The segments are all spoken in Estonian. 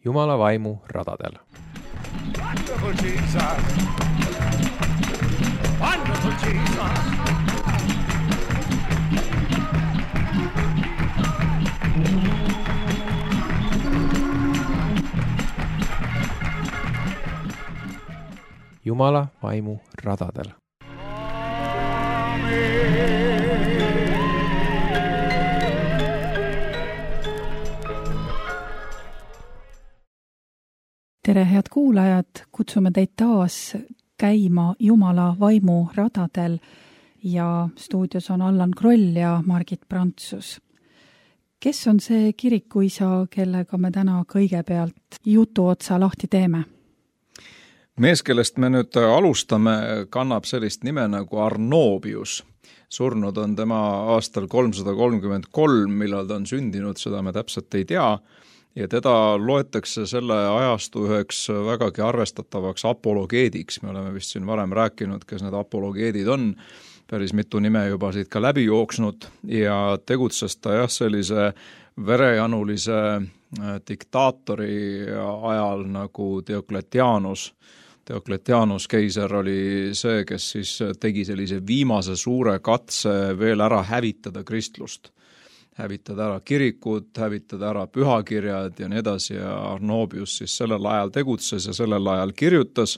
Jumala vaimu radadel. Wonderful Jesus! Wonderful Jesus! Jumala vaimu radadel. Tere, head kuulajad, kutsume teid taas käima Jumala vaimu radadel ja stuudios on Allan Kroll ja Margit Prantsus. Kes on see kirikuisa, kellega me täna kõigepealt jutu otsa lahti teeme? Mees, kellest me nüüd alustame, kannab sellist nime nagu Arnobius. Surnud on tema aastal 333, millal ta on sündinud, seda me täpselt ei tea. Ja teda loetakse selle ajastu üheks vägagi arvestatavaks apologeediks. Me oleme vist siin varem rääkinud, kes need apologeedid on. Päris mitu nime juba siit ka läbi jooksnud ja tegutses ta sellise verejanulise diktaatori ajal nagu Diocletianus. Diocletianus keiser oli see, kes siis tegi sellise viimase suure katse veel ära hävitada kristlust. Hävitada ära kirikud, hävitada ära pühakirjad ja nii edasi ja Arnobius siis sellel ajal tegutses ja sellel ajal kirjutas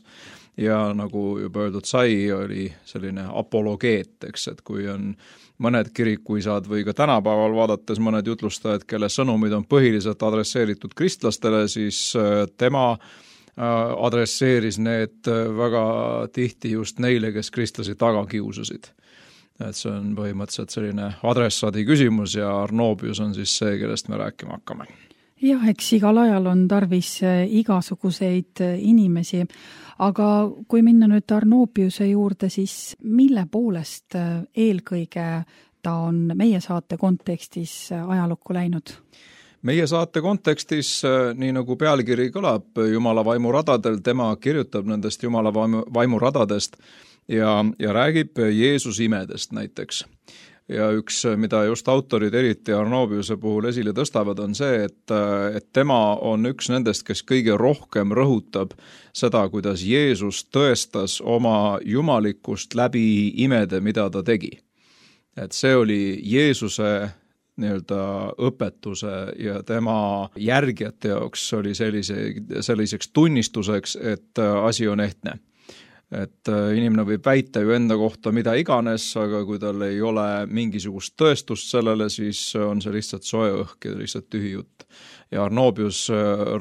ja nagu juba öeldud sai, oli selline apologeet, eks, et kui on mõned kirikuisad või ka tänapäeval vaadates mõned jutlustajad, kelle sõnumid on põhiliselt adresseeritud kristlastele, siis tema adresseeris need väga tihti just neile, kes kristlasi taga kiusasid. Et see on põhimõtteliselt selline adressaadi küsimus ja Arnobius on siis see, kellest me rääkima hakkame. Jah, eks igal ajal on tarvis igasuguseid inimesi, aga kui minna nüüd Arnobiuse juurde, siis mille poolest eelkõige ta on meie saate kontekstis ajalukku läinud? Meie saate kontekstis, nii nagu pealkiri kõlab, Jumala vaimu radadel, tema kirjutab nendest Jumala vaimu radadest ja räägib Jeesus imedest näiteks. Ja üks, mida just autorid eriti Arnobiuse puhul esile tõstavad, on see, et tema on üks nendest, kes kõige rohkem rõhutab seda, kuidas Jeesus tõestas oma jumalikkust läbi imede, mida ta tegi. Et see oli Jeesuse nii-öelda õpetuse ja tema järgijate jaoks oli selliseks tunnistuseks, et asi on ehtne. Et inimene võib väita ju enda kohta mida iganes, aga kui tal ei ole mingisugust tõestust sellele, siis on see lihtsalt soe õhk ja lihtsalt tühi jutt. Ja Arnobius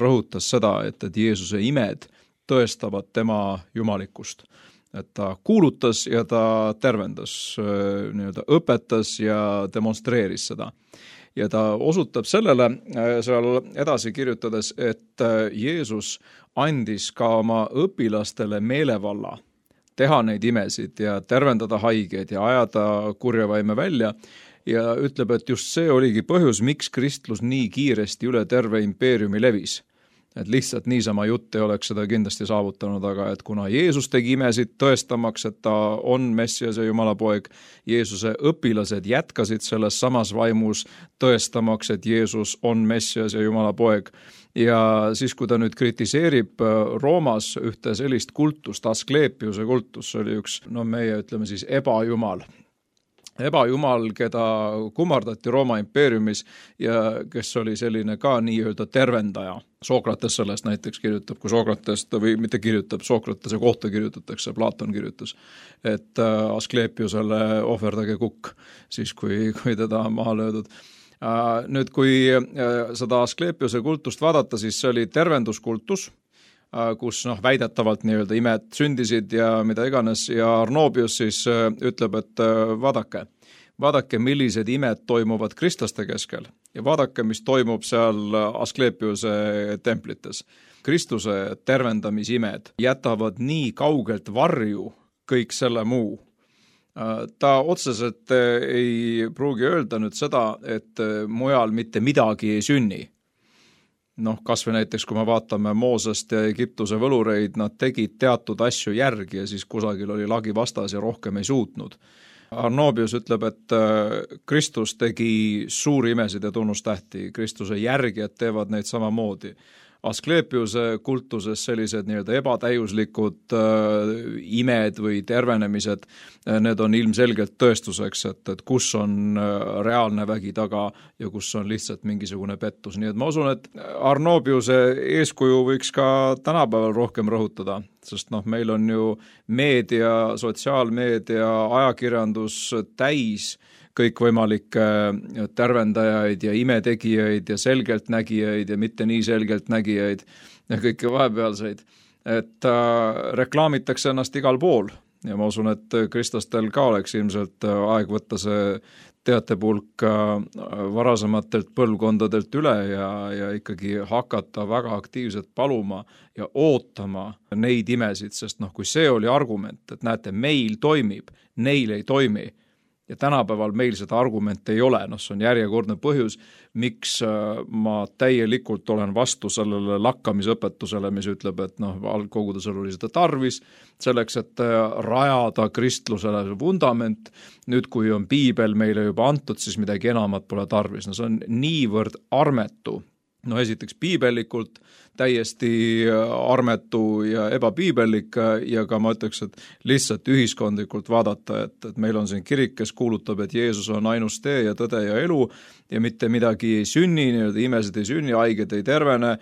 rõhutas seda, et Jeesuse imed tõestavad tema jumalikkust. Et ta kuulutas ja ta tervendas, nii-öelda õpetas ja demonstreeris seda. Ja ta osutab sellele seal edasi kirjutades, et Jeesus andis ka oma õpilastele meelevalla teha neid imesid ja tervendada haigeid ja ajada kurjavaime välja ja ütleb, et just see oligi põhjus, miks kristlus nii kiiresti üle terve impeeriumi levis. Et lihtsalt niisama jutt ei oleks seda kindlasti saavutanud, aga et kuna Jeesus tegi imesid tõestamaks, et ta on Messias ja Jumala poeg, Jeesuse õpilased jätkasid selles samas vaimus tõestamaks, et Jeesus on Messias ja Jumala poeg. Ja siis, kui ta nüüd kritiseerib Roomas ühte sellist kultust, Asklepiuse kultus, oli üks, meie ütleme siis ebajumal, keda kummardati Rooma impeeriumis ja kes oli selline ka nii-öelda tervendaja. Sokrates sellest näiteks kirjutab, kui Sokratest, või mitte kirjutab, Sokratese kohta kirjutatakse, Platon kirjutas, et Asklepiusele ohverdage kukk, siis kui teda on maha löödud. Nüüd, kui seda Asklepiuse kultust vaadata, siis see oli tervenduskultus, kus väidetavalt nii-öelda imed sündisid ja mida iganes ja Arnobius siis ütleb, et vaadake, millised imed toimuvad kristlaste keskel ja vaadake, mis toimub seal Asklepiuse templites. Kristuse tervendamisimed jätavad nii kaugelt varju kõik selle muu. Ta otseselt ei pruugi öelda nüüd seda, et mujal mitte midagi ei sünni. Kas või näiteks, kui me vaatame Moosest ja Egiptuse võlureid, nad tegid teatud asju järgi ja siis kusagil oli lagi vastas ja rohkem ei suutnud. Arnobius ütleb, et Kristus tegi suuri imesid ja tunnustähti, Kristuse järgijad teevad neid samamoodi. Asklepiuse kultuses sellised nii-öelda ebatäiuslikud imed või tervenemised, need on ilmselgelt tõestuseks, et kus on reaalne vägi taga ja kus on lihtsalt mingisugune pettus. Nii et ma usun, et Arnobiuse eeskuju võiks ka tänapäeval rohkem rõhutada, sest meil on ju meedia, sotsiaalmeedia, ajakirjandus täis kõikvõimalikke tervendajaid ja imetegijaid ja selgeltnägijaid ja mitte nii selgeltnägijaid ja kõike vahepealseid, et reklaamitakse ennast igal pool ja ma usun, et kristlastel ka oleks ilmselt aeg võtta see teatepulk varasematelt põlvkondadelt üle ja ikkagi hakata väga aktiivselt paluma ja ootama neid imesid, sest kui see oli argument, et näete, meil toimib, neil ei toimi, ja tänapäeval meil seda argumente ei ole, see on järjekordne põhjus, miks ma täielikult olen vastu sellele lakkamisõpetusele, mis ütleb, et algkogudusel oli seda tarvis, selleks, et rajada kristlusele vundament, nüüd kui on piibel meile juba antud, siis midagi enamat pole tarvis, see on niivõrd armetu. Esiteks piibellikult täiesti armetu ja ebapiibellik ja ka ma ütleks, et lihtsalt ühiskondlikult vaadata, et meil on siin kirik, kes kuulutab, et Jeesus on ainus tee ja tõde ja elu ja mitte midagi ei sünni, imesid ei sünni, haiged ei tervene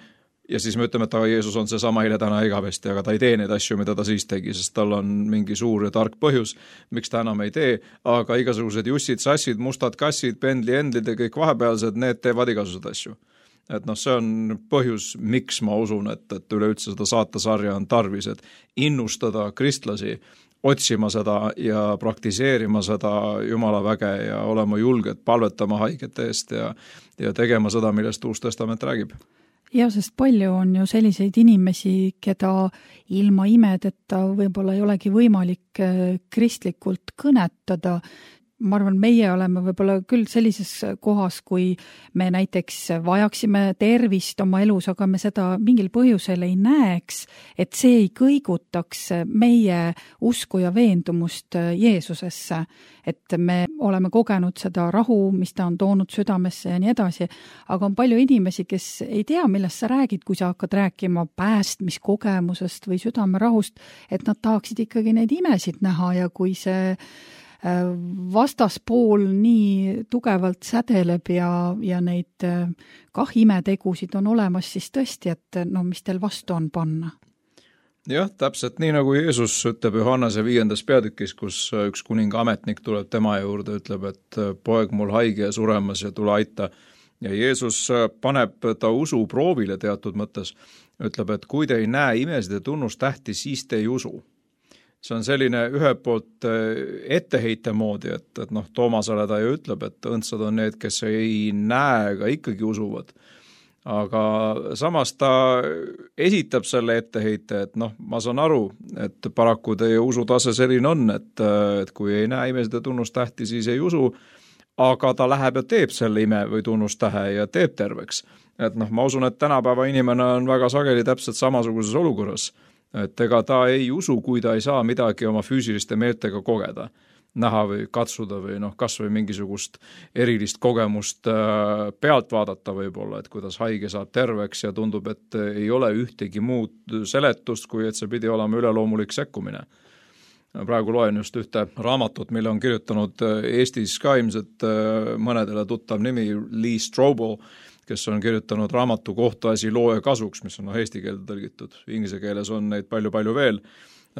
ja siis me ütleme, et Jeesus on seesama eile, täna igavesti, aga ta ei tee neid asju, mida ta siis tegi, sest tal on mingi suur ja tark põhjus, miks ta enam ei tee, aga igasugused jussid, sassid, mustad kassid, pendli endlid ja kõik vahepealsed, need teevad igasuguseid asju. Et see on põhjus, miks ma usun, et üleüldse seda saatasarja on tarvis, et innustada kristlasi otsima seda ja praktiseerima seda Jumala väge ja olema julged palvetama haigete eest ja tegema seda, millest Uus Testament räägib. Ja, sest palju on ju selliseid inimesi, keda ilma imedeta võib-olla ei olegi võimalik kristlikult kõnetada. Ma arvan, meie oleme võib-olla küll sellises kohas, kui me näiteks vajaksime tervist oma elus, aga me seda mingil põhjusel ei näeks, et see ei kõigutaks meie usku ja veendumust Jeesusesse. Et me oleme kogenud seda rahu, mis ta on toonud südamesse ja nii edasi, aga on palju inimesi, kes ei tea, millest sa räägid, kui sa hakkad rääkima päästmiskogemusest või südamerahust, et nad tahaksid ikkagi neid imesid näha ja kui see vastaspool nii tugevalt sädeleb ja neid imetegusid on olemas, siis tõesti, et mis teil vastu on panna? Jah, täpselt nii nagu Jeesus ütleb Johannese 5. peatükis, kus üks kuninga ametnik tuleb tema juurde, ütleb, et poeg mul haige ja suremas ja tule aita. Ja Jeesus paneb ta usu proovile teatud mõttes, ütleb, et kui te ei näe imesid ja tunnustähti, siis te ei usu. See on selline ühelt poolt etteheite moodi, et Toomasele ta ju ütleb, et õndsad on need, kes ei näe, aga ikkagi usuvad. Aga samas ta esitab selle etteheite, et ma saan aru, et paraku teie usutase selline on, et kui ei näe imesid ja tunnustähti, siis ei usu, aga ta läheb ja teeb selle ime või tunnustähe ja teeb terveks. Et ma usun, et tänapäeva inimene on väga sageli täpselt samasuguses olukorras. Et ega ta ei usu, kui ta ei saa midagi oma füüsiliste meeltega kogeda, näha või katsuda või kas või mingisugust erilist kogemust pealt vaadata võib-olla, et kuidas haige saab terveks ja tundub, et ei ole ühtegi muud seletust, kui et see pidi olema üleloomulik sekkumine. Praegu loen just ühte raamatut, mille on kirjutanud Eestis ka ilmselt mõnedele tuttav nimi Lee Strobel, kes on kirjutanud raamatu Kohtuasi looja kasuks, mis on eesti keelde tõlgitud. Inglise keeles on neid palju veel,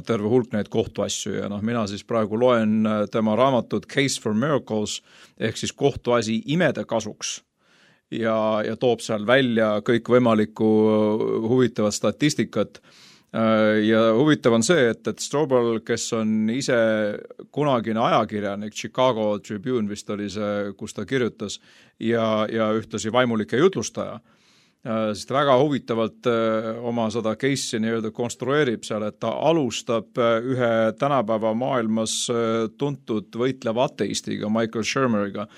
terve hulk neid kohtuasju ja mina siis praegu loen tema raamatut Case for Miracles ehk siis kohtuasi imede kasuks ja toob seal välja kõik võimalikku huvitavat statistikat. Ja huvitav on see, et Strobel, kes on ise kunagine ajakirjanik, Chicago Tribune vist oli see, kus ta kirjutas, ja ühtlasi vaimulike jutlustaja, siis ta väga huvitavalt oma seda case'i nii-öelda konstrueerib seal, et ta alustab ühe tänapäeva maailmas tuntud võitleva ateistiga, Michael Shermeriga,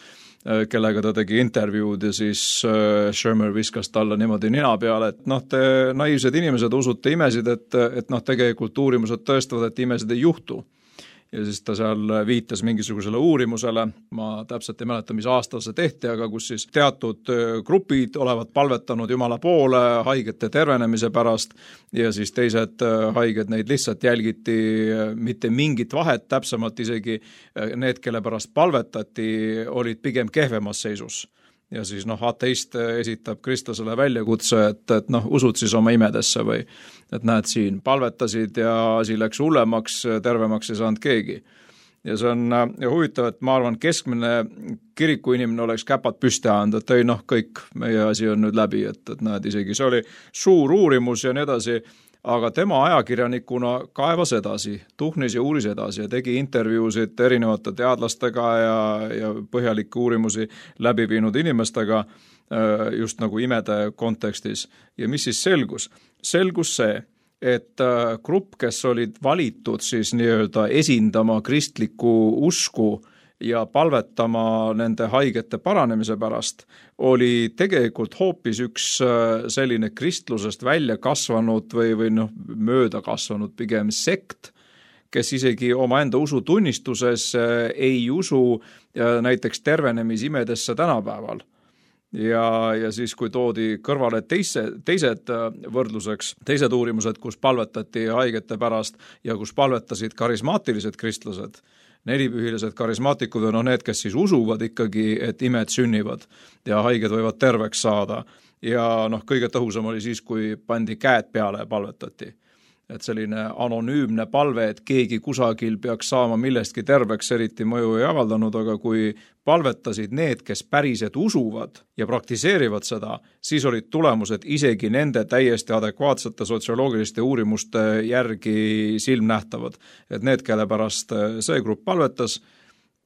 kellega ta tegi intervjuud ja siis Shermer viskas talle niimoodi nina peale, et te naiivsed inimesed usute imesid, et tegelikult uurimused tõestavad, et imesid ei juhtu. ja siis ta seal viitas mingisugusele uurimusele, ma täpselt ei mäleta, mis aastal see tehti, aga kus siis teatud grupid olevat palvetanud Jumala poole haigete tervenemise pärast ja siis teised haiged neid lihtsalt jälgiti, mitte mingit vahet, täpsemalt isegi need, kelle pärast palvetati, olid pigem kehvemas seisus. Ja siis ateist esitab kristlasele väljakutse, et usud siis oma imedesse või et näed siin, palvetasid ja asi läks hullemaks, tervemaks ei saanud keegi. Ja see on huvitav, et ma arvan, keskmine kirikuinimene oleks käpad püsti ajanud, et ei kõik, meie asi on nüüd läbi, et näed, isegi see oli suur uurimus ja nii edasi, aga tema ajakirjanikuna kaevas edasi, tuhnis ja uuris edasi ja tegi intervjuusid erinevate teadlastega ja põhjalikke uurimusi läbi viinud inimestega just nagu imede kontekstis. Ja mis siis selgus? Selgus see, et grupp, kes olid valitud siis nii-öelda esindama kristlikku usku ja palvetama nende haigete paranemise pärast, oli tegelikult hoopis üks selline kristlusest välja kasvanud või mööda kasvanud pigem sekt, kes isegi omaenda usutunnistuses ei usu näiteks tervenemisimedesse tänapäeval. Ja siis, kui toodi kõrvale teised võrdluseks, teised uurimused, kus palvetati haigete pärast ja kus palvetasid karismaatilised kristlased, nelipühilised karismaatikud on need, kes siis usuvad ikkagi, et imed sünnivad ja haiged võivad terveks saada. Ja kõige tõhusam oli siis, kui pandi käed peale ja palvetati. Et selline anonüümne palve, et keegi kusagil peaks saama millestki terveks, eriti mõju ei avaldanud, aga kui palvetasid need, kes päriselt usuvad ja praktiseerivad seda, siis olid tulemused isegi nende täiesti adekvaatsete sotsioloogiliste uurimuste järgi silmnähtavad. Et need, kelle pärast see grupp palvetas,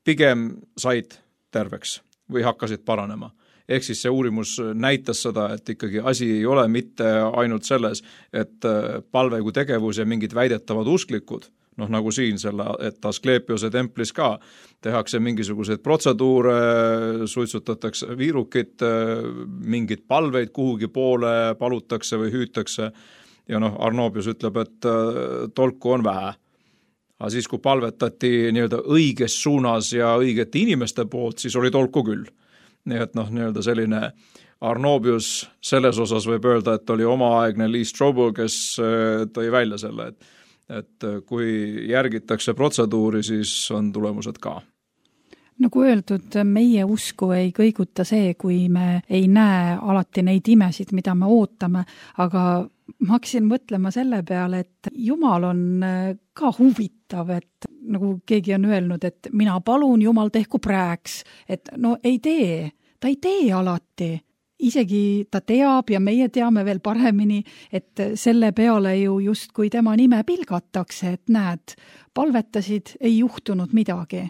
pigem said terveks või hakkasid paranema. Ehk siis see uurimus näitas seda, et ikkagi asi ei ole mitte ainult selles, et palve kui tegevus ja mingid väidetavad usklikud, nagu siin selle, et Asklepiose templis ka tehakse mingisuguseid protseduure, suitsutatakse viirukit, mingid palveid kuhugi poole palutakse või hüütakse ja Arnobius ütleb, et tolku on vähe. Aga siis, kui palvetati nii-öelda õiges suunas ja õigete inimeste poolt, siis oli tolku küll. Nii et nii-öelda selline Arnobius selles osas võib öelda, et oli omaaegne Lee Strobel, kes tõi välja selle, et kui järgitakse protseduuri, siis on tulemused ka. Nagu öeldud, meie usku ei kõiguta see, kui me ei näe alati neid imesid, mida me ootame, aga ma hakkasin mõtlema selle peale, et Jumal on ka huvitav, et nagu keegi on öelnud, et mina palun, Jumal tehku praeks, et ei tee, ta ei tee alati. Isegi ta teab ja meie teame veel paremini, et selle peale ju justkui tema nime pilgatakse, et näed, palvetasid, ei juhtunud midagi.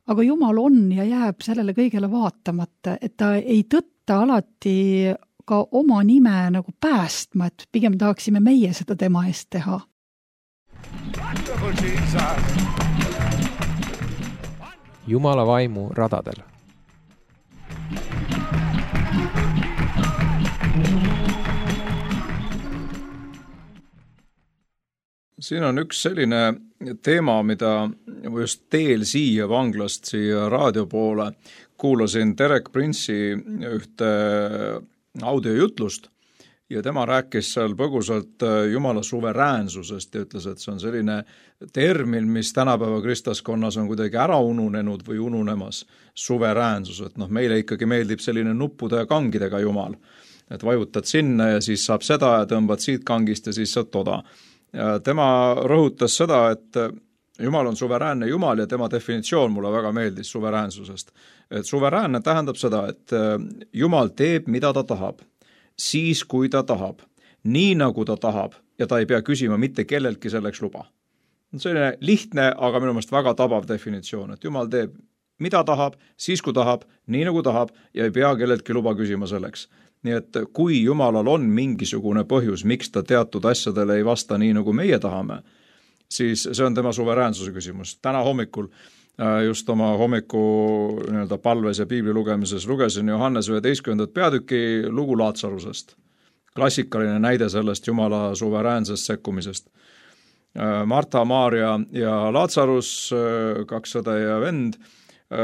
Aga Jumal on ja jääb sellele kõigele vaatamata, et ta ei tõtta alati ka oma nime nagu päästma, et pigem tahaksime meie seda tema eest teha. Jumala vaimu radadel. Siin on üks selline teema, mida just teel siia vanglast, siia raadio poole kuulasin Derek Prince'i ühte audiojutlust ja tema rääkis seal põgusalt Jumala suveräänsusest ja ütles, et see on selline termin, mis tänapäeva kristlaskonnas on kuidagi ära ununenud või ununemas, suveräänsus, et meile ikkagi meeldib selline nuppude ja kangidega Jumal, et vajutad sinna ja siis saab seda ja tõmbad siit kangist ja siis saad toda. Ja tema rõhutas seda, et Jumal on suveräänne Jumal ja tema definitsioon mulle väga meeldis suveräänsusest. Et suveräänne tähendab seda, et Jumal teeb, mida ta tahab, siis kui ta tahab, nii nagu ta tahab ja ta ei pea küsima mitte kelleltki selleks luba. See on lihtne, aga minu meelest väga tabav definitsioon, et Jumal teeb, mida tahab, siis kui tahab, nii nagu tahab ja ei pea kelleltki luba küsima selleks. Nii et kui Jumalal on mingisugune põhjus, miks ta teatud asjadele ei vasta nii, nagu meie tahame, siis see on tema suveräänsuse küsimus. Täna hommikul just oma hommiku palves ja piibli lugemises lugesin Johannes 11. peatüki lugu Laatsarusest. Klassikaline näide sellest Jumala suveräänsest sekkumisest. Marta, Maarja ja Laatsarus, 2 õde ja vend.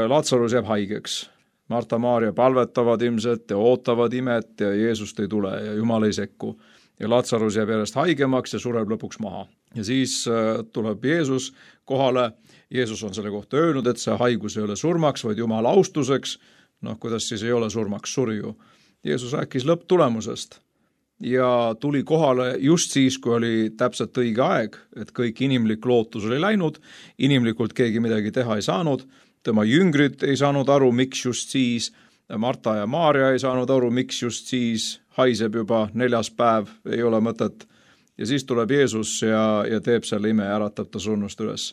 Laatsarus jääb haigeks. Marta, Maarja palvetavad ilmselt ja ootavad imet ja Jeesust ei tule ja Jumal ei sekku. Ja Laatsarus jääb järjest haigemaks ja sureb lõpuks maha. Ja siis tuleb Jeesus kohale. Jeesus on selle kohta öelnud, et see haigus ei ole surmaks, vaid Jumala austuseks. Kuidas siis ei ole surmaks, suri ju. Jeesus rääkis lõpptulemusest ja tuli kohale just siis, kui oli täpselt õige aeg, et kõik inimlik lootus oli läinud, inimlikult keegi midagi teha ei saanud, tema jüngrid ei saanud aru, miks just siis, Marta ja Maarja ei saanud aru, miks just siis, haiseb juba 4. päev, ei ole mõtet. Ja siis tuleb Jeesus ja teeb selle ime ja äratab ta surnust üles.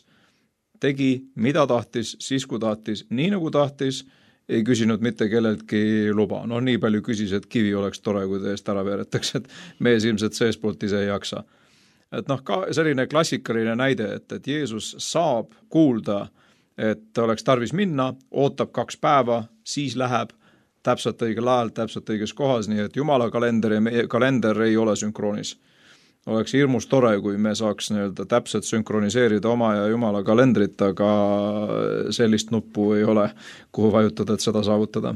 Tegi, mida tahtis, siis kui tahtis, nii nagu tahtis, ei küsinud mitte kelleltki luba. Nii palju küsis, et kivi oleks tore, kui ta eest ära veeretaks, et mees ilmselt seespoolt ise ei jaksa. Et ka selline klassikaline näide, et Jeesus saab kuulda, et oleks tarvis minna, ootab 2 päeva, siis läheb täpselt õigel ajal, täpselt õiges kohas, nii et Jumala kalender ja meie kalender ei ole sünkroonis. Oleks hirmus tore, kui me saaks täpselt sünkroniseerida oma ja Jumala kalendrit, aga sellist nuppu ei ole, kuhu vajutada, et seda saavutada.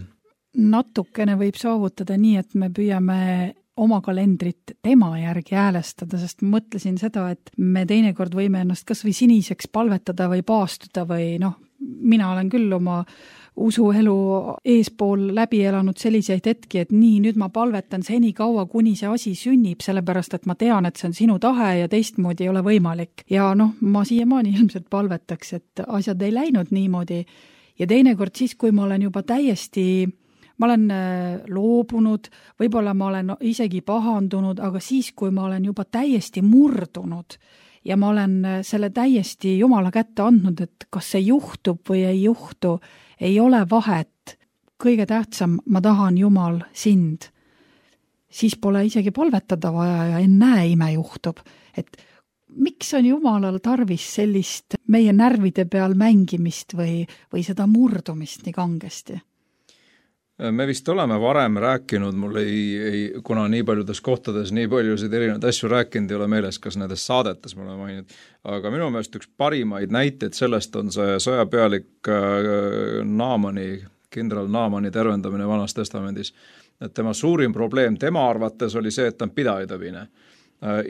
Natukene võib saavutada nii, et me püüame oma kalendrit tema järgi häälestada, sest mõtlesin seda, et me teinekord võime ennast kas või siniseks palvetada või paastuda või mina olen küll oma usuelu eespool läbi elanud selliseid hetki, et nii, nüüd ma palvetan seni kaua, kuni see asi sünnib, sellepärast, et ma tean, et see on sinu tahe ja teistmoodi ei ole võimalik. Ja ma siiamaani ilmselt palvetaks, et asjad ei läinud niimoodi. Ja teinekord siis, kui ma olen juba ma olen loobunud, võib-olla ma olen isegi pahandunud, aga siis, kui ma olen juba täiesti murdunud ja ma olen selle täiesti Jumala kätte andnud, et kas see juhtub või ei juhtu, ei ole vahet. Kõige tähtsam, ma tahan Jumal sind. Siis pole isegi palvetada vaja ja ennäe ime juhtub. Et miks on Jumalal tarvis sellist meie närvide peal mängimist või seda murdumist nii kangesti? Me vist oleme varem rääkinud, mul kuna nii paljudes kohtades nii paljusid erinevaid asju rääkinud, ei ole meeles, kas nendes saadetes mulle maininud, aga minu meelest üks parimaid näiteid sellest on see sõjapealik kindral Naamani tervendamine Vanas Testamendis. Et tema suurim probleem tema arvates oli see, et ta on pidajatavine.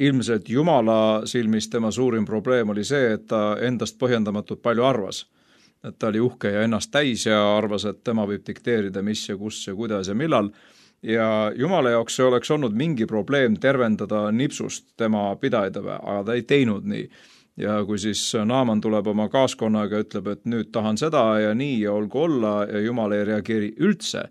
Ilmselt Jumala silmis tema suurim probleem oli see, et ta endast põhjendamatult palju arvas. Et ta oli uhke ja ennast täis ja arvas, et tema võib dikteerida, mis ja kus ja kuidas ja millal. Ja Jumala jaoks see oleks olnud mingi probleem tervendada nipsust tema pidajatave, aga ta ei teinud nii. Ja kui siis Naaman tuleb oma kaaskonnaga ja ütleb, et nüüd tahan seda ja nii ja olgu olla ja Jumal ei reageeri üldse,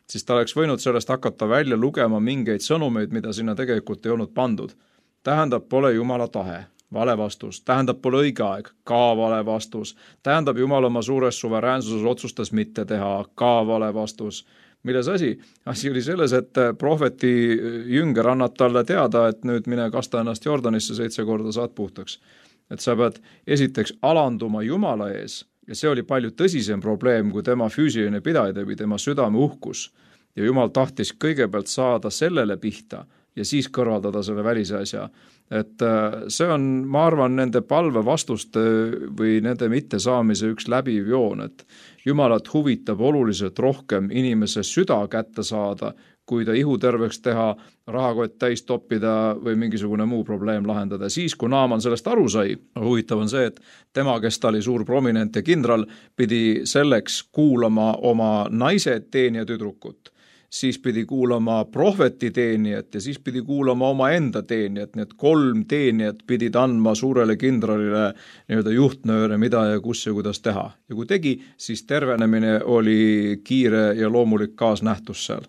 siis ta oleks võinud sellest hakata välja lugema mingeid sõnumeid, mida sinna tegelikult ei olnud pandud. Tähendab, pole Jumala tahe. Vale vastus. Tähendab, pole õige aeg. Ka vale vastus. Tähendab, Jumal oma suures suveräänsuses otsustas mitte teha. Ka vale vastus. Milles asi? Asi oli selles, et prohveti jünger annab talle teada, et nüüd mine kasta ennast Jordanisse 7 korda saad puhtaks. Et sa pead esiteks alanduma Jumala ees ja see oli palju tõsisem probleem kui tema füüsiline pidaja või tema südame uhkus. Ja Jumal tahtis kõigepealt saada sellele pihta ja siis kõrvaldada selle välise asja. Et see on, ma arvan, nende palve vastuste või nende mittesaamise üks läbiv joon, et Jumalat huvitab oluliselt rohkem inimese süda kätte saada, kui ta ihu terveks teha, rahakott täis toppida või mingisugune muu probleem lahendada. Siis, kui Naaman sellest aru sai, huvitav on see, et tema, kes ta oli suur prominent ja kindral, pidi selleks kuulama oma naise teenija tüdrukut. Siis pidi kuulama prohveti teenijat ja siis pidi kuulama oma enda teenijat, nii et 3 teenijat pidid andma suurele kindralile juhtnööre, mida ja kus ja kuidas teha. Ja kui tegi, siis tervenemine oli kiire ja loomulik kaasnähtus seal.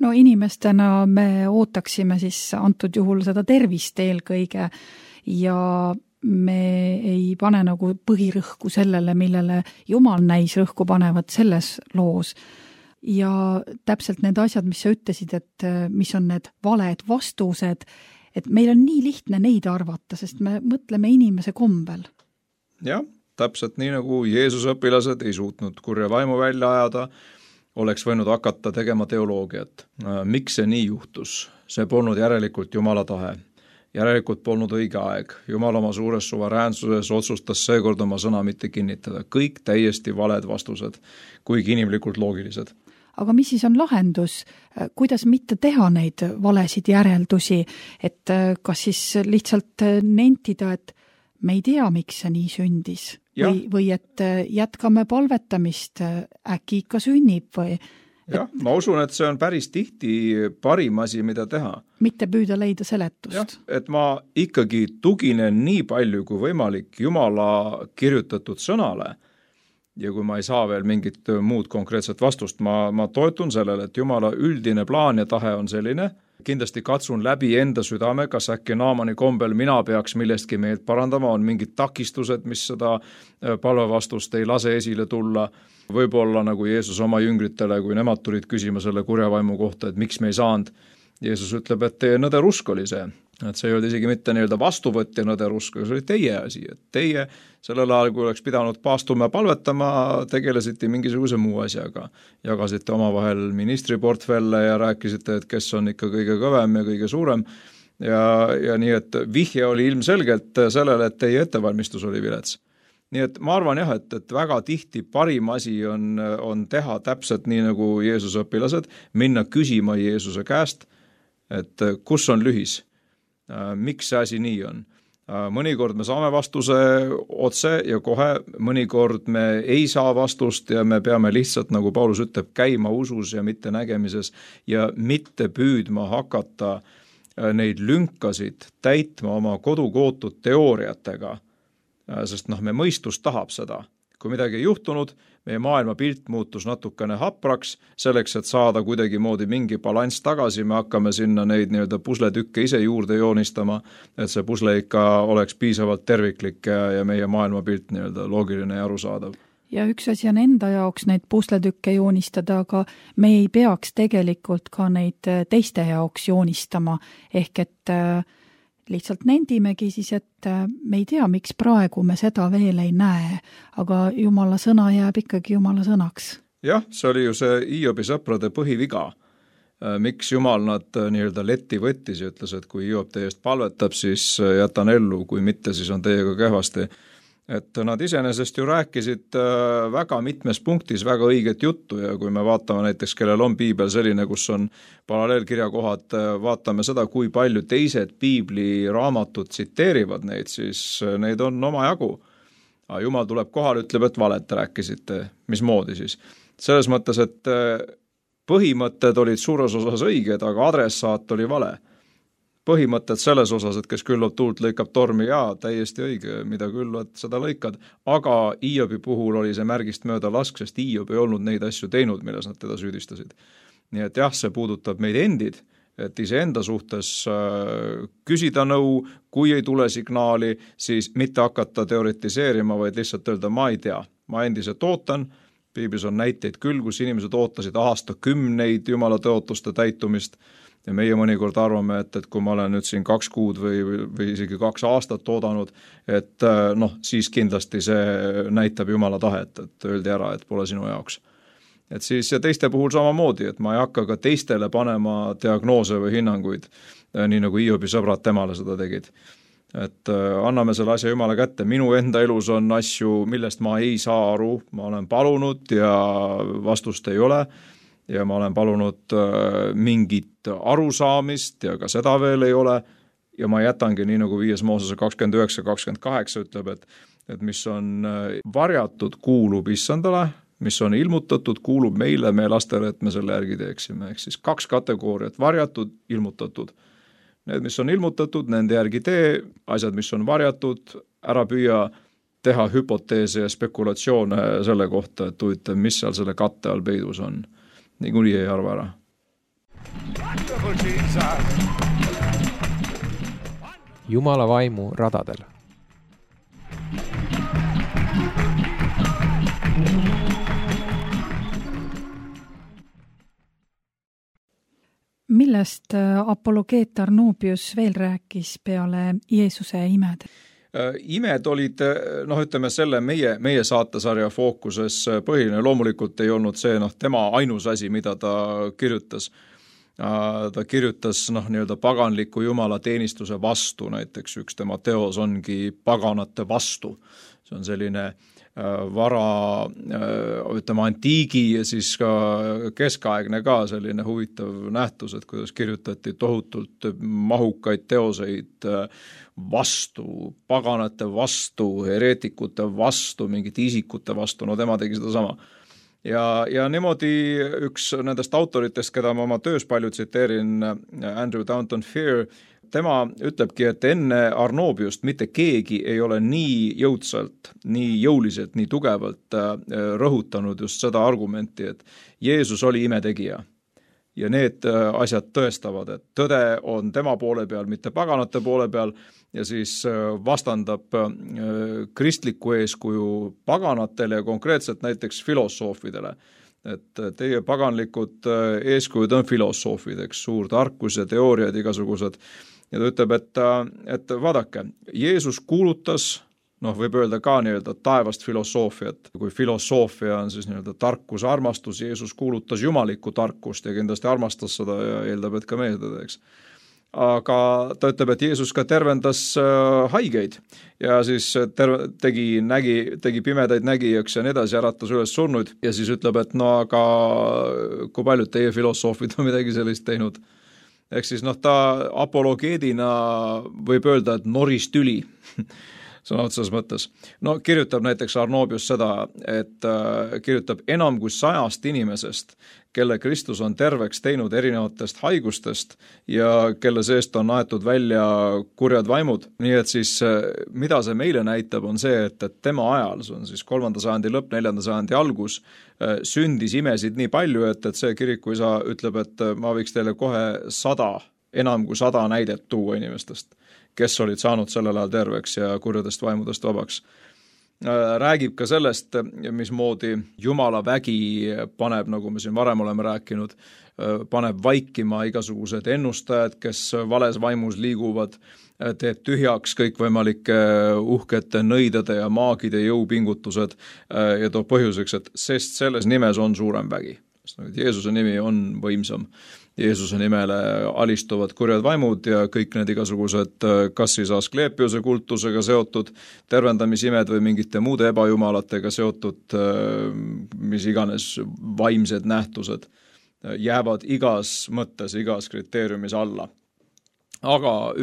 No inimestena me ootaksime siis antud juhul seda tervist eelkõige ja me ei pane nagu põhirõhku sellele, millele Jumal näis rõhku panevat selles loos. Ja täpselt need asjad, mis sa ütlesid, et mis on need valed vastused, et meil on nii lihtne neid arvata, sest me mõtleme inimese kombel. Jah, täpselt nii nagu Jeesuse õpilased ei suutnud kurja vaimu välja ajada, oleks võinud hakata tegema teoloogiat. Miks see nii juhtus? See polnud järelikult Jumala tahe. järelikult polnud õige aeg. Jumal oma suures suveräänsuses otsustas seekord oma sõna mitte kinnitada. Kõik täiesti valed vastused, kuigi inimlikult loogilised. Aga mis siis on lahendus? Kuidas mitte teha neid valesid järeldusi, et kas siis lihtsalt nentida, et me ei tea, miks see nii sündis või et jätkame palvetamist, äkki ikka sünnib või... Jah, ma usun, et see on päris tihti parim asi, mida teha. Mitte püüda leida seletust. Jah, et ma ikkagi tuginen nii palju kui võimalik Jumala kirjutatud sõnale ja kui ma ei saa veel mingit muud konkreetset vastust, ma toetun sellele, et Jumala üldine plaan ja tahe on selline. Kindlasti katsun läbi enda südame, kas äkki Naamani kombel mina peaks millestki meelt parandama, on mingid takistused, mis seda palvevastust ei lase esile tulla. Võib-olla nagu Jeesus oma jüngritele, kui nemad tulid küsima selle kurjavaimu kohta, et miks me ei saanud. Jeesus ütleb, et teie nõderusk oli see. Et see ei olnud isegi mitte nii-öelda vastuvõtja nõderusk, see oli teie asi. Et teie sellel ajal, kui oleks pidanud paastuma ja palvetama, tegelesite mingisuguse muu asjaga. Jagasite omavahel ministriportfelle ja rääkisite, et kes on ikka kõige kõvem ja kõige suurem. Ja nii, et vihje oli ilmselgelt sellele, et teie ettevalmistus oli vilets. Nii et ma arvan jah, et väga tihti parim asi on teha täpselt nii nagu Jeesuse õpilased, minna küsima Jeesuse käest, et kus on lühis, miks see asi nii on. Mõnikord me saame vastuse otse ja kohe, mõnikord me ei saa vastust ja me peame lihtsalt, nagu Paulus ütleb, käima usus ja mitte nägemises ja mitte püüdma hakata neid lünkasid täitma oma kodukootud teooriatega, sest me mõistus tahab seda. Kui midagi ei juhtunud, meie maailma pilt muutus natukene hapraks, selleks, et saada kuidagi moodi mingi balanss tagasi, me hakkame sinna neid nii-öelda pusletükke ise juurde joonistama, et see pusle ikka oleks piisavalt terviklik ja meie maailma pilt nii-öelda loogiline ja arusaadav. Ja üks asi on enda jaoks neid pusletükke joonistada, aga me ei peaks tegelikult ka neid teiste jaoks joonistama, ehk et lihtsalt nendimegi siis, et me ei tea, miks praegu me seda veel ei näe, aga Jumala sõna jääb ikkagi Jumala sõnaks. Jah, see oli ju see Hiobi sõprade põhiviga. Miks Jumal nad nii-öelda letti võttis ja ütles, et kui Hiob teie eest palvetab, siis jätan ellu, kui mitte, siis on teiega kehvasti. Et nad iseenesest ju rääkisid väga mitmes punktis väga õiget juttu ja kui me vaatame näiteks, kellel on piibel selline, kus on paralleelkirjakohad, vaatame seda, kui palju teised piibliraamatud tsiteerivad neid, siis neid on omajagu. Jumal tuleb kohal, ütleb, et valet rääkisite. Mismoodi siis? Selles mõttes, et põhimõtted olid suures osas õiged, aga adressaat oli vale. Põhimõtted selles osas, et kes küllab tuult, lõikab tormi, jaa, täiesti õige, mida külvad, seda lõikad, aga Hiobi puhul oli see märgist mööda lask, sest Hiob ei olnud neid asju teinud, milles nad teda süüdistasid. Nii et jah, see puudutab meid endid, et iseenda suhtes küsida nõu, kui ei tule signaali, siis mitte hakata teoretiseerima, vaid lihtsalt öelda, ma ei tea, ma endiselt ootan. Piiblis on näiteid küll, kus inimesed ootasid aastakümneid Jumala tõotuste täitumist ja meie mõnikord arvame, et kui ma olen nüüd siin 2 kuud või isegi 2 aastat oodanud, et siis kindlasti see näitab Jumala tahet, et öeldi ära, et pole sinu jaoks. Et siis ja teiste puhul samamoodi, et ma ei hakka ka teistele panema diagnoose või hinnanguid, nii nagu Hiobi sõbrad temale seda tegid. Et anname selle asja Jumala kätte. Minu enda elus on asju, millest ma ei saa aru, ma olen palunud ja vastust ei ole ja ma olen palunud mingit arusaamist ja ka seda veel ei ole ja ma jätangi nii nagu 5 Moosese 29-28 ütleb, et mis on varjatud, kuulub Issandale, mis on ilmutatud, kuulub meile, meie lastele, et me selle järgi teeksime. Ehk siis 2 kategooriat, varjatud, ilmutatud. Need, mis on ilmutatud, nende järgi tee, asjad, mis on varjatud, ära püüa teha hüpoteese ja spekulatsioone selle kohta, et huvitav, mis seal selle katte all peidus on. Niikuinii ei arva ära. Jumala vaimu radadel. Millest apologeet Arnobius veel rääkis peale Jeesuse imed? Imed olid, ütleme selle meie saatesarja fookuses põhiline. Loomulikult ei olnud see tema ainus asi, mida ta kirjutas. ta kirjutas nii-öelda paganliku jumala teenistuse vastu, näiteks üks tema teos ongi paganate vastu. See on selline antiigi ja siis ka keskaegne ka selline huvitav nähtus, et kuidas kirjutati tohutult mahukaid teoseid vastu, paganate vastu, hereetikute vastu, mingite isikute vastu, no tema tegi seda sama. Ja niimoodi üks nendest autoritest, keda ma oma töös palju tsiteerin, Andrew Downton Fear, tema ütlebki, et enne Arnobiust mitte keegi ei ole nii jõudsalt, nii jõuliselt, nii tugevalt rõhutanud just seda argumenti, et Jeesus oli imetegija. Ja need asjad tõestavad, et tõde on tema poole peal, mitte paganate poole peal, ja siis vastandab kristliku eeskuju paganatele ja konkreetselt näiteks filosoofidele. Et teie paganlikud eeskujud on filosoofid, eks, suur tarkus ja teooriad igasugused. Ja ta ütleb, et vaadake, Jeesus kuulutas, võib öelda ka nii-öelda taevast filosoofiat. Kui filosoofia on siis nii-öelda tarkus, armastus, Jeesus kuulutas jumalikku tarkust ja kindlasti armastas seda ja eeldab, et ka meie seda teeks. Aga ta ütleb, et Jeesus ka tervendas haigeid ja siis tegi pimedaid nägijaks ja nii edasi, äratas üles surnuid ja siis ütleb, et aga kui paljud teie filosoofid on midagi sellist teinud. Ehk siis ta apologeedina võib öelda, et noris tüli sõna otsas mõttes. Kirjutab näiteks Arnobius seda, et kirjutab enam kui 100 inimesest, kelle Kristus on terveks teinud erinevatest haigustest ja kelle seest on aetud välja kurjad vaimud. Nii et siis, mida see meile näitab, on see, et tema ajal, see on siis 3. sajandi lõpp, 4. sajandi algus, sündis imesid nii palju, et see kirikuisa ütleb, et ma võiks teile kohe enam kui 100 näidet tuua inimestest, kes olid saanud sellel ajal terveks ja kurjadest vaimudest vabaks. Räägib ka sellest, mismoodi Jumala vägi paneb, nagu me siin varem oleme rääkinud, paneb vaikima igasugused ennustajad, kes vales vaimus liiguvad, teeb tühjaks kõikvõimalike uhkete nõidade ja maagide jõupingutused ja toob põhjuseks, et sest selles nimes on suurem vägi. Jeesuse nimi on võimsam. Jeesuse nimele alistuvad kurjad vaimud ja kõik need igasugused kas siis Asklepiose kultusega seotud tervendamisimed või mingite muude ebajumalatega seotud mis iganes vaimsed nähtused jäävad igas mõttes, igas kriteeriumis alla. Aga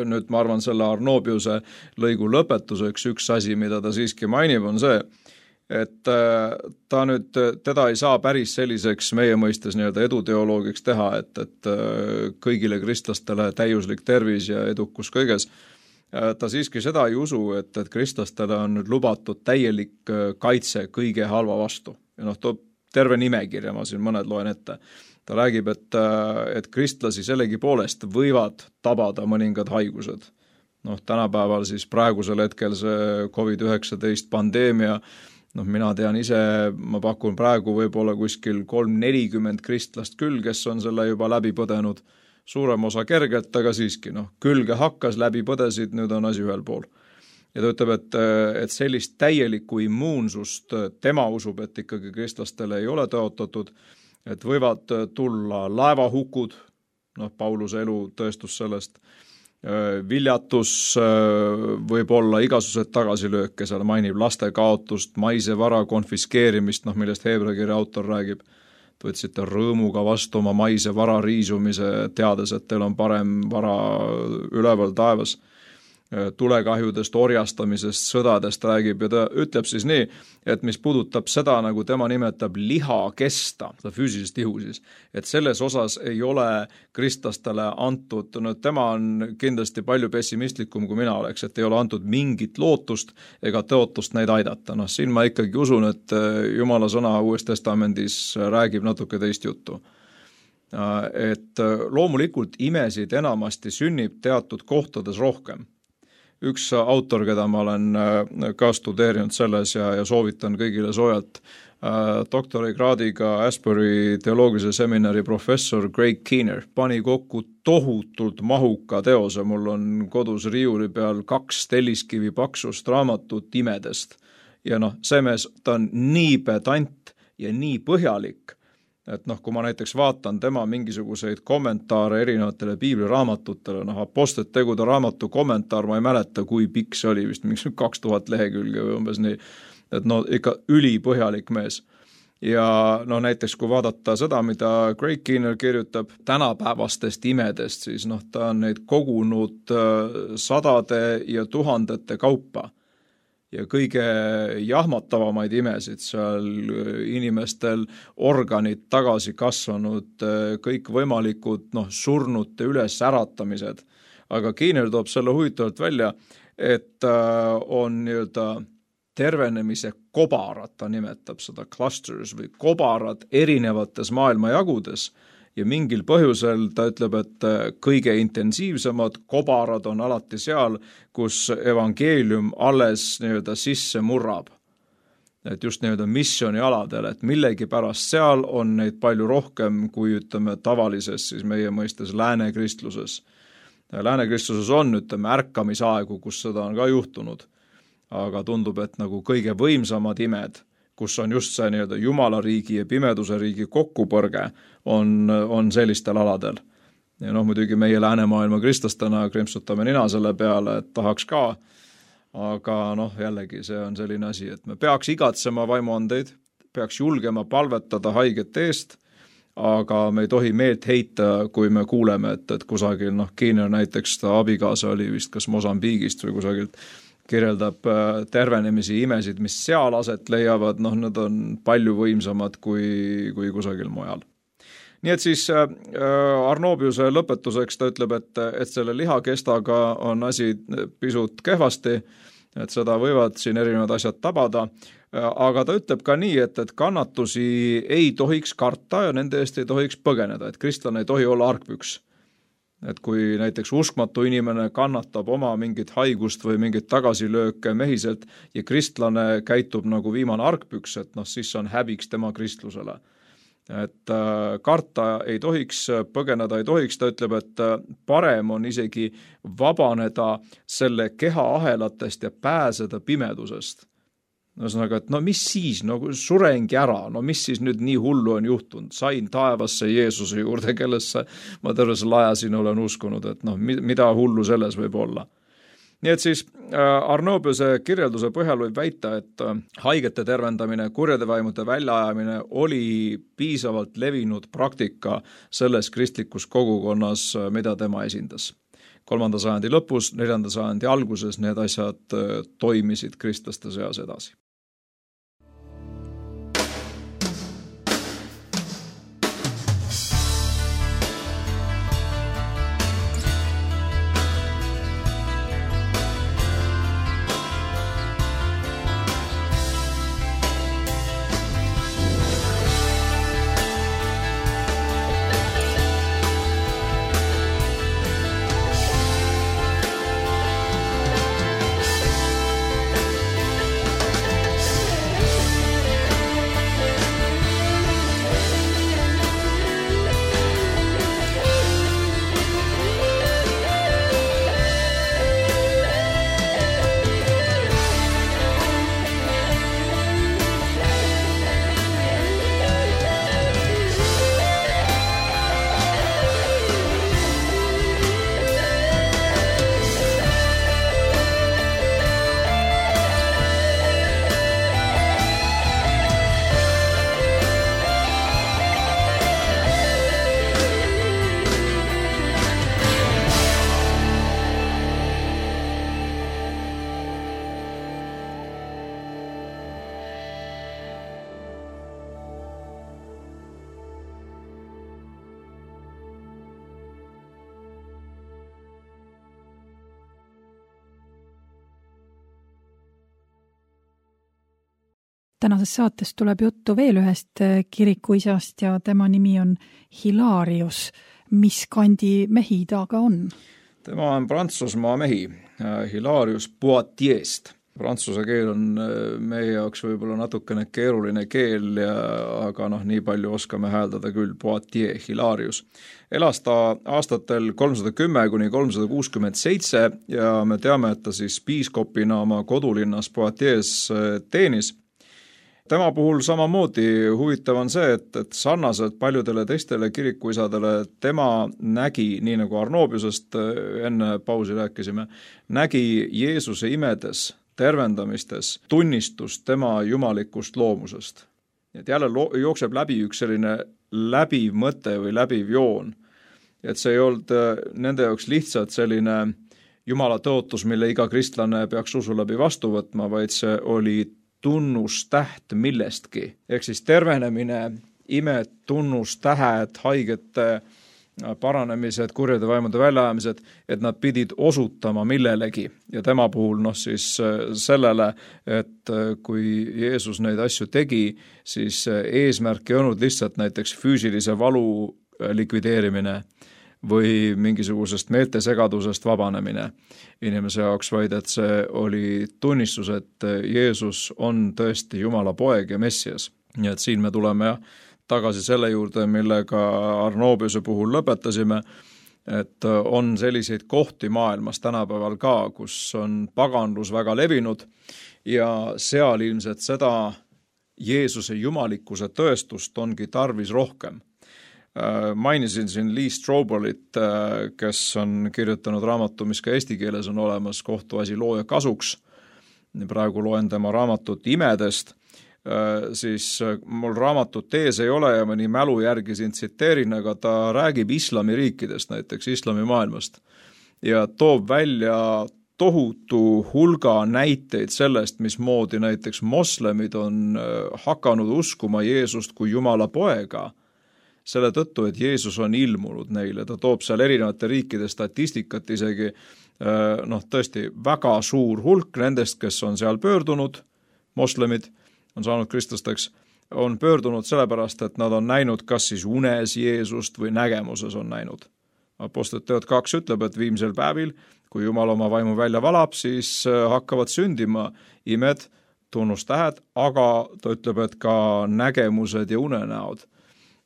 nüüd ma arvan selle Arnobiuse lõigu lõpetuseks üks asi, mida ta siiski mainib, on see, et teda ei saa päris selliseks meie mõistes nii-öelda eduteoloogiks teha, et kõigile kristlastele täiuslik tervis ja edukus kõiges. Ta siiski seda ei usu, et kristlastele on nüüd lubatud täielik kaitse kõige halva vastu. Ja toob terve nimekirja, ma siin mõned loen ette. Ta räägib, et kristlasi sellegi poolest võivad tabada mõningad haigused. Tänapäeval siis praegusel hetkel see COVID-19 pandeemia, mina tean ise, ma pakun praegu võib-olla kuskil 3-40 kristlast küll, kes on selle juba läbi põdenud, suurem osa kergelt, aga siiski, külge hakkas, läbi põdesid, nüüd on asi ühel pool. Ja ta ütleb, et sellist täielikku immuunsust tema usub, et ikkagi kristlastele ei ole tõotatud, et võivad tulla laevahukud, Pauluse elu tõestus sellest, viljatus võib olla igasugused tagasilööke, seal mainib laste kaotust, maise vara konfiskeerimist, millest Heebreakirja autor räägib. Te võtsite rõõmuga vastu oma maise vara riisumise, teades, et teil on parem vara üleval taevas. Tulekahjudest, orjastamisest, sõdadest räägib ja ta ütleb siis nii, et mis puudutab seda, nagu tema nimetab liha kesta, seda füüsilist ihu siis, et selles osas ei ole kristlastele antud, tema on kindlasti palju pessimistlikum kui mina oleks, et ei ole antud mingit lootust ega tõotust neid aidata. Siin ma ikkagi usun, et Jumala sõna Uues Testamendis räägib natuke teist juttu. Et loomulikult imesid enamasti sünnib teatud kohtades rohkem. Üks autor, keda ma olen ka studeerinud selles ja soovitan kõigile soojalt, doktorikraadiga Asbury teoloogilise seminari professor Greg Keener pani kokku tohutult mahuka teose. Mul on kodus riiuli peal 2 telliskivi paksust raamatut imedest. Ja see mees, ta on nii pedant ja nii põhjalik, et noh, kui ma näiteks vaatan tema mingisuguseid kommentaare erinevatele piibliraamatutele, noh, Apostlite tegude raamatu kommentaar, ma ei mäleta, kui pikk see oli, vist mingi 2000 lehekülge või umbes nii, et no ikka ülipõhjalik mees. Ja noh, näiteks kui vaadata seda, mida Greg Keener kirjutab tänapäevastest imedest, siis noh, ta on neid kogunud sadade ja tuhandete kaupa. Ja kõige jahmatavamaid imesid seal inimestel organid tagasi kasvanud, kõik võimalikud surnute üles äratamised. Aga Keener toob selle huvitavalt välja, et on nii-öelda tervenemise kobarad, ta nimetab seda clusters või kobarad erinevates maailmajagudes. Ja mingil põhjusel ta ütleb, et kõige intensiivsemad kobarad on alati seal, kus evangeelium alles nii-öelda sisse murrab. Et just nii-öelda missioonialadel, et millegi pärast seal on neid palju rohkem kui ütleme tavalises siis meie mõistes läänekristluses. Läänekristluses on ütleme ärkamisaegu, kus seda on ka juhtunud, aga tundub, et nagu kõige võimsamad imed, kus on just see nii-öelda Jumala riigi ja pimeduse riigi kokkupõrge, on sellistel aladel. Ja noh, muidugi meie läänemaailma kristlastena krimpsutame nina selle peale, et tahaks ka, aga noh, jällegi see on selline asi, et me peaks igatsema vaimuandeid, peaks julgema palvetada haigete eest, aga me ei tohi meelt heita, kui me kuuleme, et kusagil, Keener näiteks ta abikaasa oli vist kas Mosambiigist või kusagilt, kirjeldab tervenemisi imesid, mis seal aset leiavad, need on palju võimsamad kui kusagil mujal. Nii et siis Arnobiuse lõpetuseks ta ütleb, et selle lihakestaga on asi pisut kehvasti, et seda võivad siin erinevad asjad tabada, aga ta ütleb ka nii, et kannatusi ei tohiks karta ja nende eest ei tohiks põgeneda, et kristlane ei tohi olla argpüks. Et kui näiteks uskmatu inimene kannatab oma mingit haigust või mingit tagasilööke mehiselt ja kristlane käitub nagu viimane argpüks, et siis on häbiks tema kristlusele. Et karta ei tohiks, põgeneda ei tohiks, ta ütleb, et parem on isegi vabaneda selle keha ahelatest ja pääseda pimedusest. Ühesõnaga, et mis siis, surengi ära, mis siis nüüd nii hullu on juhtunud, sain taevasse Jeesuse juurde, kellesse ma terve selle aja siin olen uskunud, et mida hullu selles võib olla. Nii et siis Arnobiuse kirjelduse põhjal võib väita, et haigete tervendamine, kurjade vaimude väljaajamine oli piisavalt levinud praktika selles kristlikus kogukonnas, mida tema esindas. 3. sajandi lõpus, 4. sajandi alguses need asjad toimisid kristlaste seas edasi. Tänases saates tuleb juttu veel ühest kirikuisast ja tema nimi on Hilarius. Mis kandi mehi ta ka on? Tema on Prantsusmaa mehi, Hilarius Poitiers'st. Prantsuse keel on meie jaoks võib-olla natukene keeruline keel, aga nii palju oskame hääldada küll, Poitiers, Hilarius. Elas ta aastatel 310 kuni 367 ja me teame, et ta siis piiskopina oma kodulinnas Poitiers teenis. Tema puhul samamoodi huvitav on see, et sarnaselt paljudele teistele kirikuisadele tema nägi, nii nagu Arnobiusest enne pausi rääkisime, nägi Jeesuse imedes, tervendamistes tunnistust tema jumalikust loomusest. Et jälle jookseb läbi üks selline läbiv mõte või läbiv joon. Et see ei olnud nende jaoks lihtsalt selline Jumala tõotus, mille iga kristlane peaks usu läbi vastu võtma, vaid see oli tunnustäht millestki. Ehk siis tervenemine, imed, tunnustähed, haigete paranemised, kurjade vaimude väljaajamised, et nad pidid osutama millelegi. Ja tema puhul siis sellele, et kui Jeesus neid asju tegi, siis eesmärk ei olnud lihtsalt näiteks füüsilise valu likvideerimine või mingisugusest meeltesegadusest vabanemine inimese jaoks, vaid et see oli tunnistus, et Jeesus on tõesti Jumala poeg ja Messias. Nii et siin me tuleme tagasi selle juurde, millega Arnobiuse puhul lõpetasime, et on selliseid kohti maailmas tänapäeval ka, kus on paganlus väga levinud ja seal ilmselt seda Jeesuse jumalikkuse tõestust ongi tarvis rohkem. Mainisin siin Lee Stroblit, kes on kirjutanud raamatu, mis ka eesti keeles on olemas, Kohtuasi looja kasuks. Praegu loen tema raamatut Imedest, siis mul raamatut ees ei ole ja mõni mälu järgi siin tsiteerin, aga ta räägib islamiriikidest, näiteks islamimaailmast ja toob välja tohutu hulga näiteid sellest, mismoodi näiteks moslemid on hakanud uskuma Jeesust kui Jumala poega, selle tõttu, et Jeesus on ilmunud neile. Ta toob seal erinevate riikide statistikat isegi, tõesti väga suur hulk nendest, kes on seal pöördunud, moslemid on saanud kristlasteks, on pöördunud sellepärast, et nad on näinud kas siis unes Jeesust või nägemuses on näinud. Apostlite teod 2 ütleb, et viimsel päevil, kui Jumal oma vaimu välja valab, siis hakkavad sündima imed, tunnustähed, aga ta ütleb, et ka nägemused ja unenäod.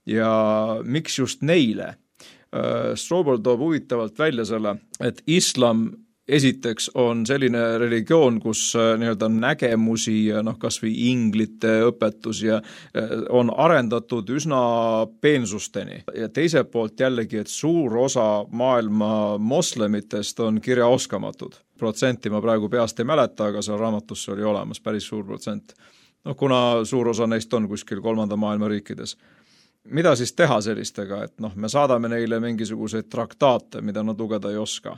Ja miks just neile? Strobel toob huvitavalt välja selle, et islam esiteks on selline religioon, kus nii-öelda nägemusi ja kas või inglite õpetus ja on arendatud üsna peensusteni. Ja teiselt poolt jällegi, et suur osa maailma moslemitest on kirjaoskamatud. Protsenti ma praegu peast ei mäleta, aga seal raamatusse oli olemas päris suur protsent. Kuna suur osa neist on kuskil 3. maailma riikides. Mida siis teha sellistega, et me saadame neile mingisuguseid traktaate, mida nad lugeda ei oska.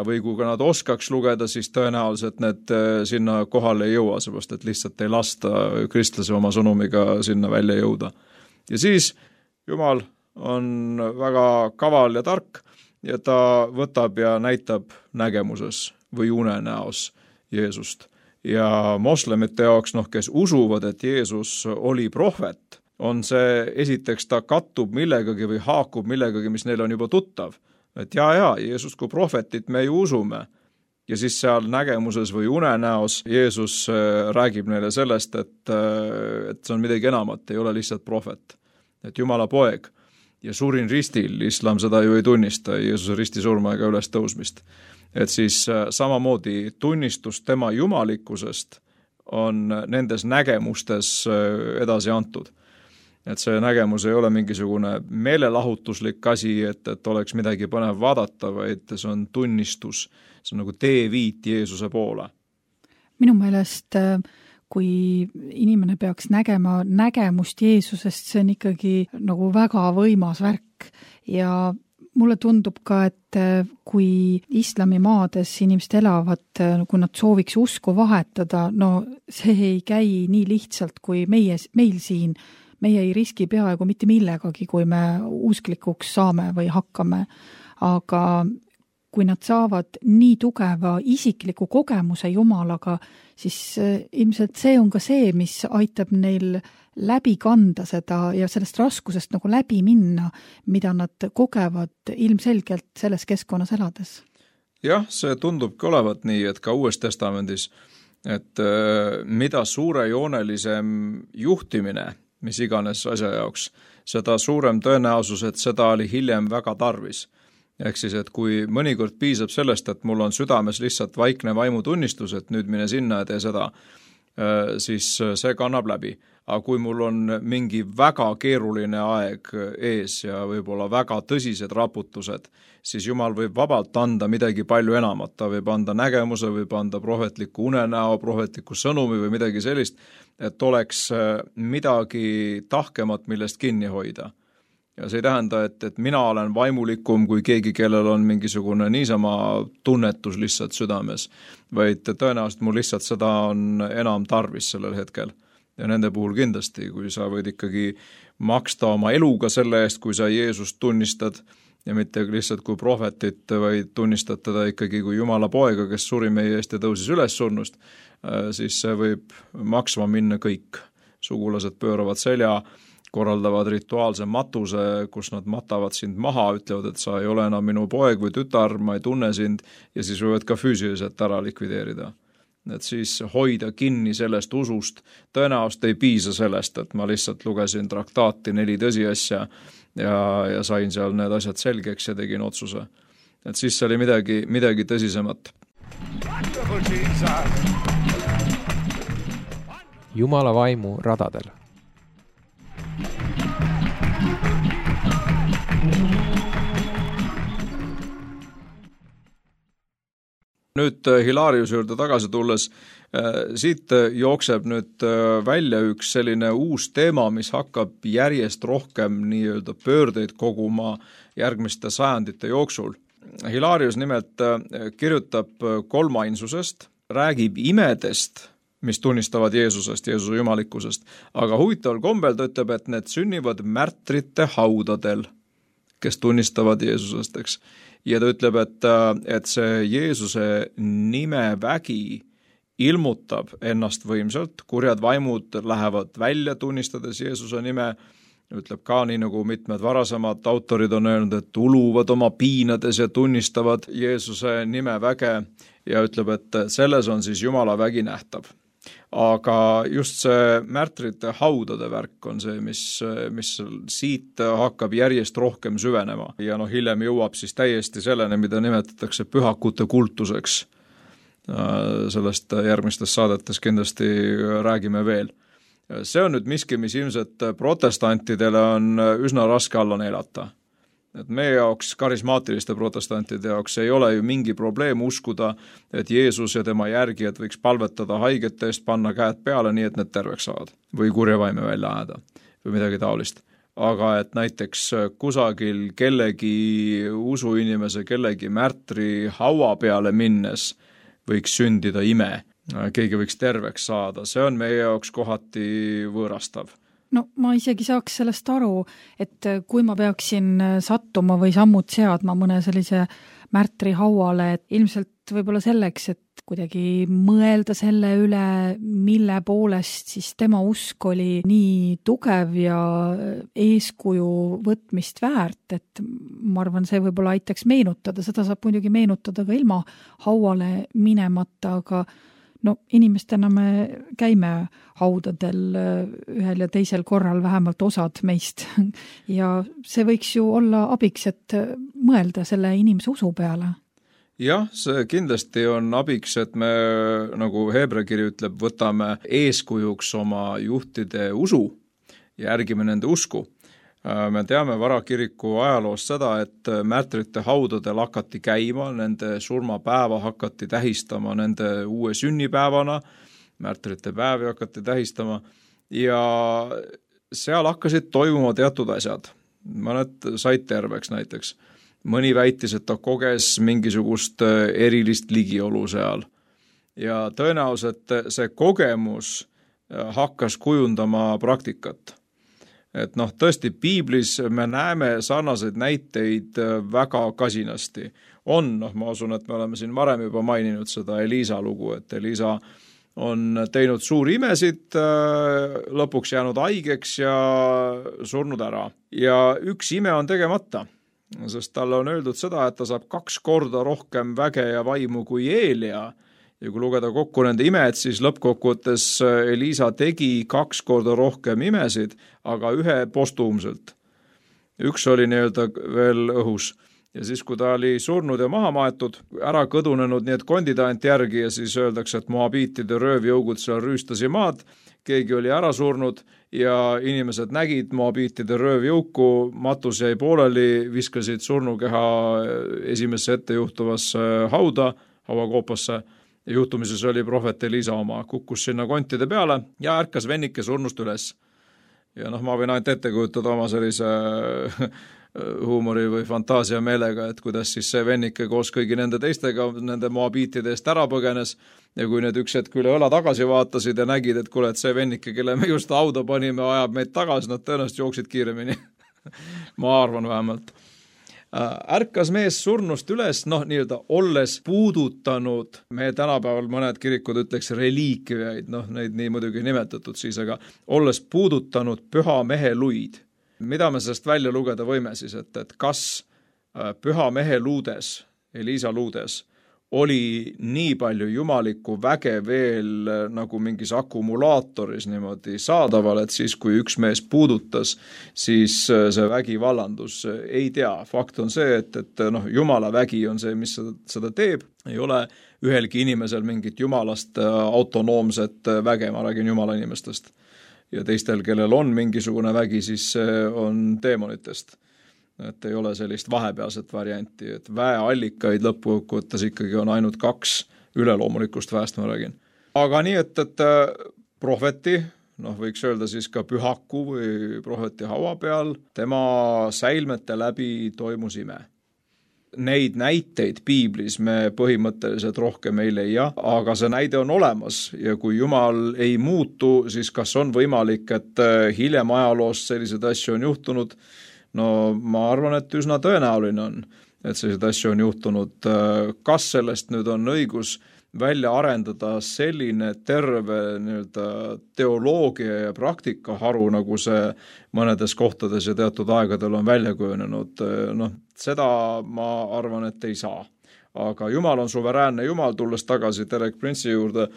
Või kui nad oskaks lugeda, siis tõenäoliselt need sinna kohale ei jõua, seepärast et lihtsalt ei lasta kristlase oma sõnumiga sinna välja jõuda. Ja siis Jumal on väga kaval ja tark ja ta võtab ja näitab nägemuses või unenäos Jeesust. Ja moslemite jaoks, kes usuvad, et Jeesus oli prohvet, on see esiteks ta kattub millegagi või haakub millegagi, mis neil on juba tuttav. Et Jeesus kui prohvetit me ju usume. Ja siis seal nägemuses või unenäos Jeesus räägib neile sellest, et see on midagi enamat, ei ole lihtsalt prohvet. Et Jumala poeg ja surin ristil, islam seda ju ei tunnista, Jeesuse ristisurma ega üles tõusmist. Et siis samamoodi tunnistus tema jumalikkusest on nendes nägemustes edasi antud. Et see nägemus ei ole mingisugune meelelahutuslik asi, et oleks midagi põnev vaadata, vaid see on tunnistus, see on nagu teeviit Jeesuse poole. Minu meelest, kui inimene peaks nägema nägemust Jeesusest, see on ikkagi nagu väga võimas värk ja mulle tundub ka, et kui islamimaades inimesed elavad, kui nad sooviks usku vahetada, see ei käi nii lihtsalt kui meil siin. Meie ei riski peaaegu mitte millegagi, kui me usklikuks saame või hakkame, aga kui nad saavad nii tugeva isikliku kogemuse Jumalaga, siis ilmselt see on ka see, mis aitab neil läbi kanda seda ja sellest raskusest nagu läbi minna, mida nad kogevad ilmselgelt selles keskkonnas elades. Jah, see tundubki olevat nii, et ka Uues Testamendis, et mida suurejoonelisem juhtimine, mis iganes asja jaoks, seda suurem tõenäosus, et seda oli hiljem väga tarvis. Ehk siis, et kui mõnikord piisab sellest, et mul on südames lihtsalt vaikne vaimutunnistus, et nüüd mine sinna ja tee seda, siis see kannab läbi. Aga kui mul on mingi väga keeruline aeg ees ja võib-olla väga tõsised raputused, siis Jumal võib vabalt anda midagi palju enamat. Ta võib anda nägemuse, võib anda prohvetliku unenäo, prohvetliku sõnumi või midagi sellist, et oleks midagi tahkemat, millest kinni hoida. Ja see ei tähenda, et mina olen vaimulikum kui keegi, kellel on mingisugune niisama tunnetus lihtsalt südames, vaid tõenäoliselt mul lihtsalt seda on enam tarvis sellel hetkel. Ja nende puhul kindlasti, kui sa võid ikkagi maksta oma eluga selle eest, kui sa Jeesust tunnistad ja mitte lihtsalt kui prohvetit, vaid tunnistad teda ikkagi kui Jumala poega, kes suri meie eest ja tõusis üles surnust, siis see võib maksma minna kõik. Sugulased pööravad selja, korraldavad rituaalse matuse, kus nad matavad sind maha, ütlevad, et sa ei ole enam minu poeg või tütar, ma ei tunne sind ja siis võivad ka füüsiliselt ära likvideerida. Et siis hoida kinni sellest usust, tõenäoliselt ei piisa sellest, et ma lihtsalt lugesin traktaati 4 tõsiasja ja sain seal need asjad selgeks ja tegin otsuse. Et siis see oli midagi tõsisemat. Jumala vaimu radadel. Nüüd Hilariuse juurde tagasi tulles, siit jookseb nüüd välja üks selline uus teema, mis hakkab järjest rohkem nii-öelda pöördeid koguma järgmiste sajandite jooksul. Hilarius nimelt kirjutab kolmainsusest, räägib imedest, mis tunnistavad Jeesusest, Jeesuse jumalikkusest, aga huvitaval kombel ta ütleb, et need sünnivad märtrite haudadel, kes tunnistavad Jeesusest, eks. Ja ta ütleb, et see Jeesuse nime vägi ilmutab ennast võimsalt, kurjad vaimud lähevad välja tunnistades Jeesuse nime, ütleb ka nii nagu mitmed varasemad autorid on öelnud, et uluvad oma piinades ja tunnistavad Jeesuse nime väge ja ütleb, et selles on siis Jumala vägi nähtav. Aga just see märtrite haudade värk on see, mis siit hakkab järjest rohkem süvenema ja hiljem jõuab siis täiesti selleni, mida nimetatakse pühakute kultuseks. Sellest järgmistes saadetes kindlasti räägime veel. See on nüüd miski, mis ilmselt protestantidele on üsna raske alla neelata. Et meie jaoks, karismaatiliste protestantide jaoks ei ole ju mingi probleem uskuda, et Jeesus ja tema järgijad võiks palvetada haigete eest, panna käed peale nii, et need terveks saavad või kurja vaime välja ajada või midagi taolist. Aga et näiteks kusagil kellegi usuinimese, kellegi märtri haua peale minnes võiks sündida ime, keegi võiks terveks saada, see on meie jaoks kohati võõrastav. No ma isegi saaks sellest aru, et kui ma peaksin sattuma või sammud seadma mõne sellise märtri hauale, et ilmselt võib-olla selleks, et kuidagi mõelda selle üle, mille poolest siis tema usk oli nii tugev ja eeskuju võtmist väärt, et ma arvan, see võib-olla aitaks meenutada, seda saab muidugi meenutada ka ilma hauale minemata, aga inimestena me käime haudadel ühel ja teisel korral, vähemalt osad meist. Ja see võiks ju olla abiks, et mõelda selle inimese usu peale. Jah, see kindlasti on abiks, et me, nagu Heebrea kiri ütleb, võtame eeskujuks oma juhtide usu, järgime nende usku. Me teame varakiriku ajaloost seda, et märtrite haudadel hakati käima, nende surmapäeva hakati tähistama nende uue sünnipäevana, märtrite päevi hakati tähistama ja seal hakkasid toimuma teatud asjad. Mõned said terveks näiteks. Mõni väitis, et ta koges mingisugust erilist ligiolu seal. Ja tõenäoliselt see kogemus hakkas kujundama praktikat. Et tõesti piiblis me näeme sarnaseid näiteid väga kasinasti. Ma usun, et me oleme siin varem juba maininud seda Eliisa lugu, et Eliisa on teinud suuri imesid, lõpuks jäänud haigeks ja surnud ära. Ja üks ime on tegemata, sest talle on öeldud seda, et ta saab 2 korda rohkem väge ja vaimu kui Eelia. Ja kui lugeda kokku nende imed, siis lõppkokkuvõttes Eliisa tegi 2 korda rohkem imesid, aga 1 postuumselt. Üks oli nii-öelda veel õhus. ja siis, kui ta oli surnud ja maha maetud, ära kõdunenud, nii et kondid ainult järgi ja siis öeldakse, et moabiitide röövjõugud seal rüüstasi maad, keegi oli ära surnud ja inimesed nägid moabiitide röövjõuku, matus jäi pooleli, viskasid surnukeha esimesse ettejuhtuvasse hauakoopasse ja juhtumises oli prohvet Elisa oma, kukkus sinna kontide peale ja ärkas vennike surnust üles. Ja ma võin ainult ette kujutada oma sellise huumori või fantaasia meelega, et kuidas siis see vennike koos kõigi nende teistega nende moabiitide eest ära põgenes ja kui need üks hetk üle õla tagasi vaatasid ja nägid, et kuule, et see vennike, kelle me just hauda panime, ajab meid tagasi, nad tõenäoliselt jooksid kiiremini. Ma arvan vähemalt. Ärkas mees surnust üles, nii-öelda olles puudutanud, me tänapäeval mõned kirikud ütleks reliikviaid, neid nii muidugi nimetatud siis, aga olles puudutanud püha mehe luid. Mida me sellest välja lugeda võime siis, et kas püha mehe luudes, Elisa luudes, oli nii palju jumalikku väge veel nagu mingis akumulaatoris niimoodi saadaval, et siis, kui üks mees puudutas, siis see vägi vallandus. Ei tea, fakt on see, et jumala vägi on see, mis seda teeb. Ei ole ühelgi inimesel mingit jumalast autonoomset väge, ma räägin jumala inimestest. Ja teistel, kellel on mingisugune vägi, siis on teemonitest. Et ei ole sellist vahepealset varianti, et väeallikaid lõppkokkuvõttes ikkagi on ainult 2 üleloomulikust väest, ma räägin. Aga nii, et prohveti, võiks öelda siis ka pühaku või prohveti haua peal, tema säilmete läbi toimus ime. Neid näiteid piiblis me põhimõtteliselt rohkem ei leia, aga see näide on olemas ja kui Jumal ei muutu, siis kas on võimalik, et hiljem ajaloost sellised asju on juhtunud? Ma arvan, et üsna tõenäoline on, et sellised asju on juhtunud. Kas sellest nüüd on õigus välja arendada selline terve teoloogia ja praktikaharu, nagu see mõnedes kohtades ja teatud aegadel on välja kujunenud? Seda ma arvan, et ei saa. Aga Jumal on suveräänne Jumal, tulles tagasi Derek Prince'i juurde.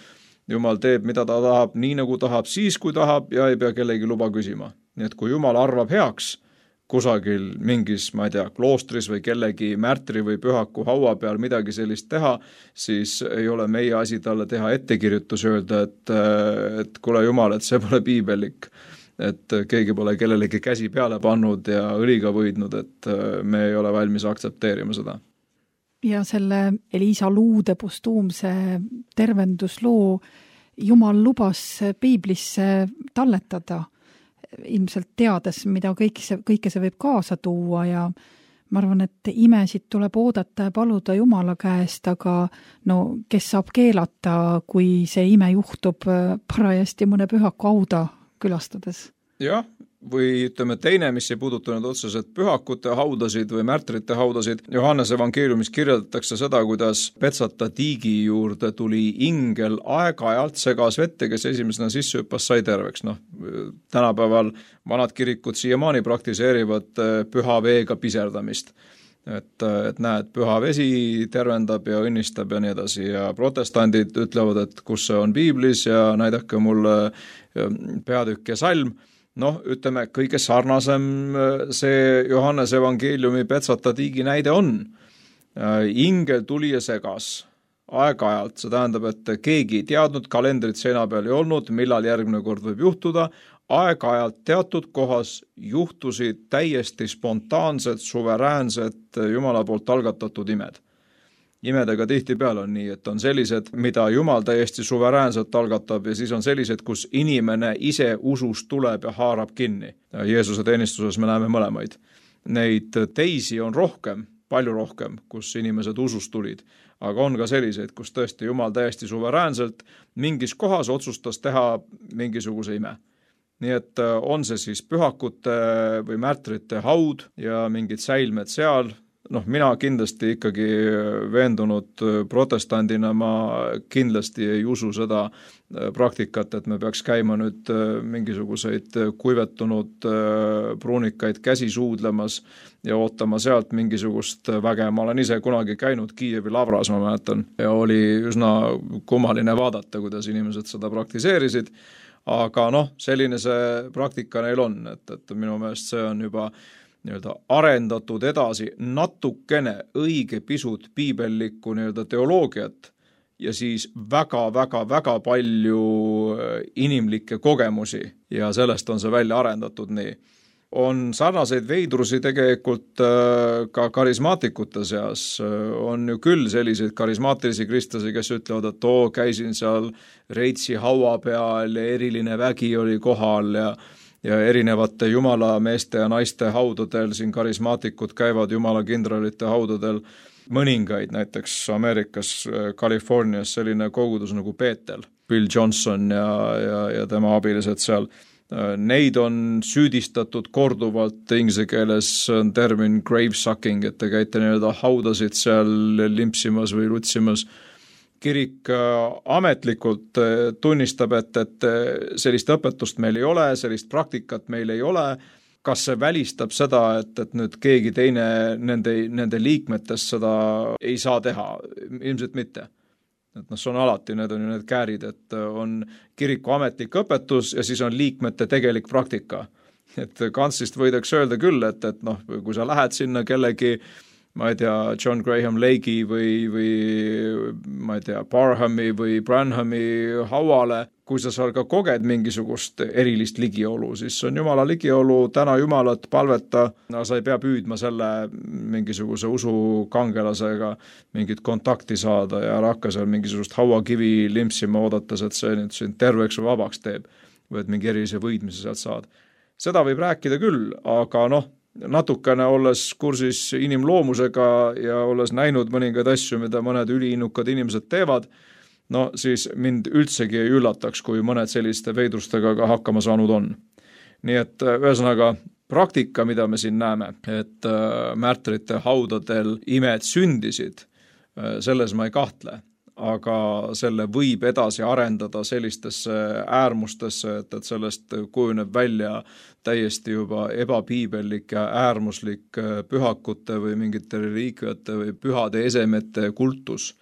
Jumal teeb, mida ta tahab, nii nagu tahab, siis kui tahab ja ei pea kellegi luba küsima. Nii et kui Jumal arvab heaks kusagil mingis, ma ei tea, kloostris või kellegi märtri või pühaku haua peal midagi sellist teha, siis ei ole meie asi talle teha ettekirjutus öelda, et kuule Jumal, et see pole piibelik, et keegi pole kellelegi käsi peale pannud ja õliga võidnud, et me ei ole valmis aktsepteerima seda. Ja selle Elisa luude postuumse tervendusloo Jumal lubas piiblisse talletada, ilmselt teades, mida kõike see võib kaasa tuua ja ma arvan, et imesid tuleb oodata ja paluda Jumala käest, aga kes saab keelata, kui see ime juhtub parajasti mõne pühaku hauda külastades? Jah, või ütleme teine, mis ei puudutanud otseselt pühakute haudasid või märtrite haudasid. Johannese evangeeliumis kirjeldatakse seda, kuidas Petsata tiigi juurde tuli ingel aeg-ajalt segas vette, kes esimesena sisse hüppas, sai terveks. Tänapäeval vanad kirikud siiamaani praktiseerivad püha veega piserdamist. Et näed, püha vesi tervendab ja õnnistab ja nii edasi. Ja protestandid ütlevad, et kus see on piiblis ja näidake mulle peatükk ja salm. Ütleme, kõige sarnasem see Johannese evangeeliumi Petsata tiigi näide on. Ingel tuli ja segas aeg-ajalt, see tähendab, et keegi ei teadnud, kalendrit seina peal ei olnud, millal järgmine kord võib juhtuda, aeg-ajalt teatud kohas juhtusid täiesti spontaansed, suveräänsed Jumala poolt algatatud imed. Imedega tihtipeale on nii, et on sellised, mida Jumal täiesti suveräänselt algatab ja siis on sellised, kus inimene ise usust tuleb ja haarab kinni. Jeesuse teenistuses me näeme mõlemaid. Neid teisi on rohkem, palju rohkem, kus inimesed usust tulid. Aga on ka selliseid, kus tõesti Jumal täiesti suveräänselt mingis kohas otsustas teha mingisuguse ime. Nii et on see siis pühakute või märtrite haud ja mingid säilmed seal. Mina kindlasti ikkagi veendunud protestandina, ma kindlasti ei usu seda praktikat, et me peaks käima nüüd mingisuguseid kuivetunud pruunikaid käsi suudlemas ja ootama sealt mingisugust väge. Ma olen ise kunagi käinud Kiievi Lavras, ma mäletan, ja oli üsna kummaline vaadata, kuidas inimesed seda praktiseerisid. Aga selline see praktika neil on, et minu meelest see on juba nii-öelda arendatud edasi natukene õige pisut piibellikku nii-öelda teoloogiat ja siis väga palju inimlikke kogemusi ja sellest on see välja arendatud nii. On sarnaseid veidrusi tegelikult ka karismaatikute seas. On ju küll selliseid karismaatilisi kristlasi, kes ütlevad, et käisin seal Reitsi haua peal ja eriline vägi oli kohal ja erinevate jumalameeste ja naiste haudadel, siin karismaatikud käivad jumala kindralite haudadel, mõningaid, näiteks Ameerikas, Californias selline kogudus nagu Betel, Bill Johnson ja tema abilised seal. Neid on süüdistatud korduvalt, inglise keeles on termin grave sucking, et te käite nii-öelda haudasid seal limpsimas või lutsimas. Kirik ametlikult tunnistab, et sellist õpetust meil ei ole, sellist praktikat meil ei ole. Kas see välistab seda, et nüüd keegi teine nende liikmetest seda ei saa teha? Ilmselt mitte. Et see on alati, need on ju need käärid, et on kiriku ametlik õpetus ja siis on liikmete tegelik praktika. Et kantsist võidaks öelda küll, et kui sa lähed sinna kellegi, ma ei tea, John Graham Lake'i või ma ei tea, Barhami või Branhami hauale, kui sa seal ka koged mingisugust erilist ligiolu, siis on Jumala ligiolu, täna Jumalat, palveta, sa ei pea püüdma selle mingisuguse usukangelasega mingit kontakti saada ja ära hakka seal mingisugust hauakivi limpsima oodates, et see nüüd sind terveks või vabaks teeb või et mingi erilise võidmise sealt saad. Seda võib rääkida küll, aga natukene olles kursis inimloomusega ja olles näinud mõningaid asju, mida mõned üliinnukad inimesed teevad, siis mind üldsegi ei üllataks, kui mõned selliste veidrustega ka hakkama saanud on. Nii et ühesõnaga praktika, mida me siin näeme, et märtrite haudadel imed sündisid, selles ma ei kahtle, aga selle võib edasi arendada sellistesse äärmustesse, et sellest kujuneb välja täiesti juba ebapiibellik ja äärmuslik pühakute või mingite reliikviate või pühade esemete kultus.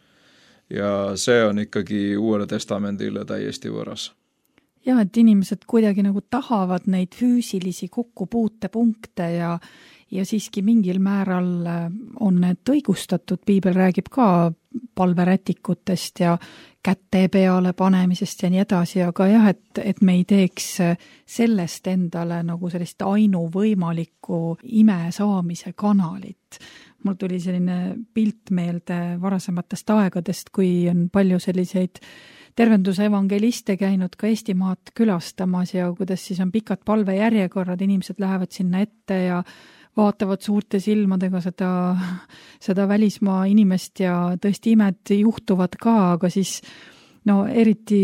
Ja see on ikkagi Uuele Testamendile täiesti võõras. Ja, et inimesed kuidagi nagu tahavad neid füüsilisi kokkupuutepunkte ja siiski mingil määral on need õigustatud. Piibel räägib ka palverätikutest ja kätte peale panemisest ja nii edasi, aga jah, et me ei teeks sellest endale nagu sellist ainuvõimalikku ime saamise kanalit. Mul tuli selline pilt meelde varasematest aegadest, kui on palju selliseid tervenduse evangeliste käinud ka Eestimaad külastamas ja kuidas siis on pikad palvejärjekorrad, inimesed lähevad sinna ette ja vaatavad suurte silmadega seda välismaa inimest ja tõesti imed juhtuvad ka, aga siis eriti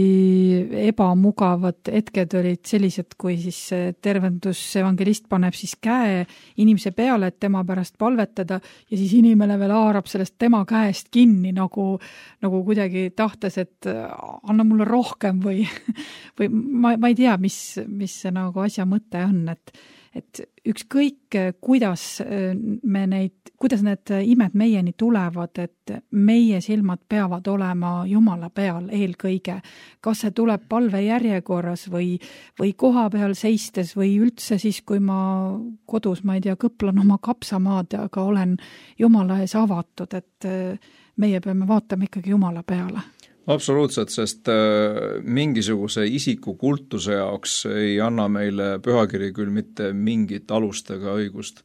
ebamugavad hetked olid sellised, kui siis tervendusevangelist paneb siis käe inimese peale, et tema pärast palvetada ja siis inimene veel haarab sellest tema käest kinni nagu kuidagi tahtes, et anna mulle rohkem või ma ei tea, mis see nagu asja mõte on, et ükskõik, kuidas need imed meieni tulevad, et meie silmad peavad olema Jumala peal eelkõige. Kas see tuleb palvejärjekorras või koha peal seistes või üldse siis, kui ma kodus, ma ei tea, kõplan oma kapsamaad, aga olen Jumala ees avatud, et meie peame vaatama ikkagi Jumala peale. Absoluutselt, sest mingisuguse isiku kultuse jaoks ei anna meile pühakiri küll mitte mingit alust ega õigust.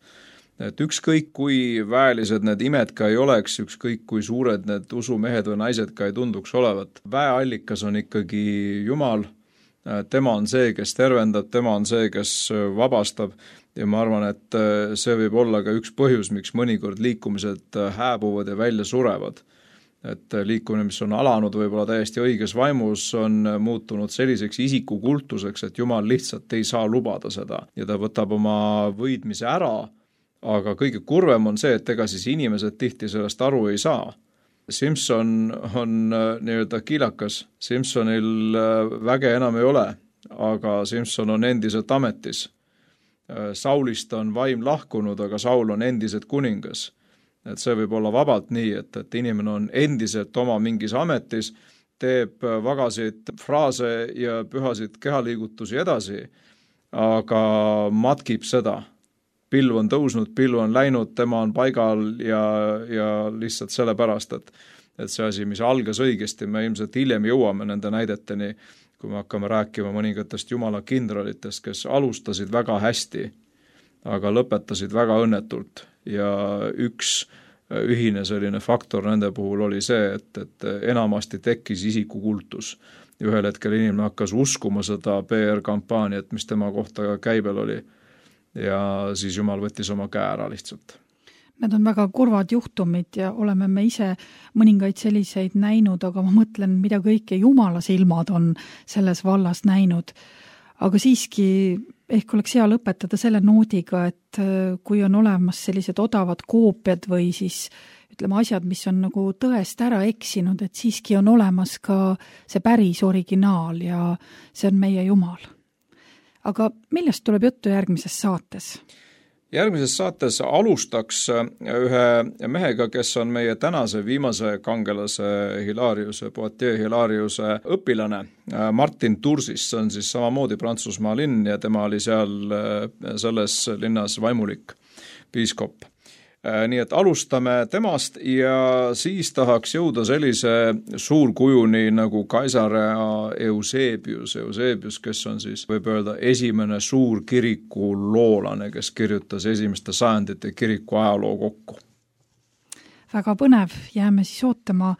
Et ükskõik kui väelised need imed ka ei oleks, ükskõik kui suured need usumehed või naised ka ei tunduks olevat. Väeallikas on ikkagi Jumal, tema on see, kes tervendab, tema on see, kes vabastab ja ma arvan, et see võib olla ka üks põhjus, miks mõnikord liikumised hääbuvad ja välja surevad. Et liikumine, mis on alanud võib-olla täiesti õiges vaimus, on muutunud selliseks isikukultuseks, et Jumal lihtsalt ei saa lubada seda ja ta võtab oma võidmise ära, aga kõige kurvem on see, et ega siis inimesed tihti sellest aru ei saa. Simson on nii-öelda kiilakas, Simsonil väge enam ei ole, aga Simson on endiselt ametis. Saulist on vaim lahkunud, aga Saul on endiselt kuningas. Et see võib olla vabalt nii, et inimene on endiselt oma mingis ametis, teeb vagasid fraase ja pühasid kehaliigutusi edasi, aga matkib seda, pilv on tõusnud, pilv on läinud, tema on paigal ja lihtsalt sellepärast, et see asi, mis algas õigesti, me ilmselt hiljem jõuame nende näideteni, kui me hakkame rääkima mõningatest Jumala kindralitest, kes alustasid väga hästi, aga lõpetasid väga õnnetult ja üks ühine selline faktor nende puhul oli see, et enamasti tekkis isikukultus. Ühel hetkel inimene hakkas uskuma seda PR-kampaaniat, mis tema kohta käibel oli ja siis Jumal võttis oma käe ära lihtsalt. Need on väga kurvad juhtumid ja oleme me ise mõningaid selliseid näinud, aga ma mõtlen, mida kõike Jumala silmad on selles vallas näinud. Aga siiski ehk oleks hea lõpetada selle noodiga, et kui on olemas sellised odavad koopiad või siis ütleme asjad, mis on nagu tõest ära eksinud, et siiski on olemas ka see päris originaal ja see on meie Jumal. Aga millest tuleb juttu järgmises saates? Järgmises saates alustaks ühe mehega, kes on meie tänase viimase kangelase Hilariuse, Poitiers Hilariuse õpilane, Martin Tursis, see on siis samamoodi Prantsusmaa linn ja tema oli seal selles linnas vaimulik piiskop. Nii et alustame temast ja siis tahaks jõuda sellise suurkujuni nagu Kaisarea Eusebius, kes on siis, võib öelda, esimene suur kiriku loolane, kes kirjutas esimeste sajandite kiriku ajaloo kokku. Väga põnev, jääme siis ootama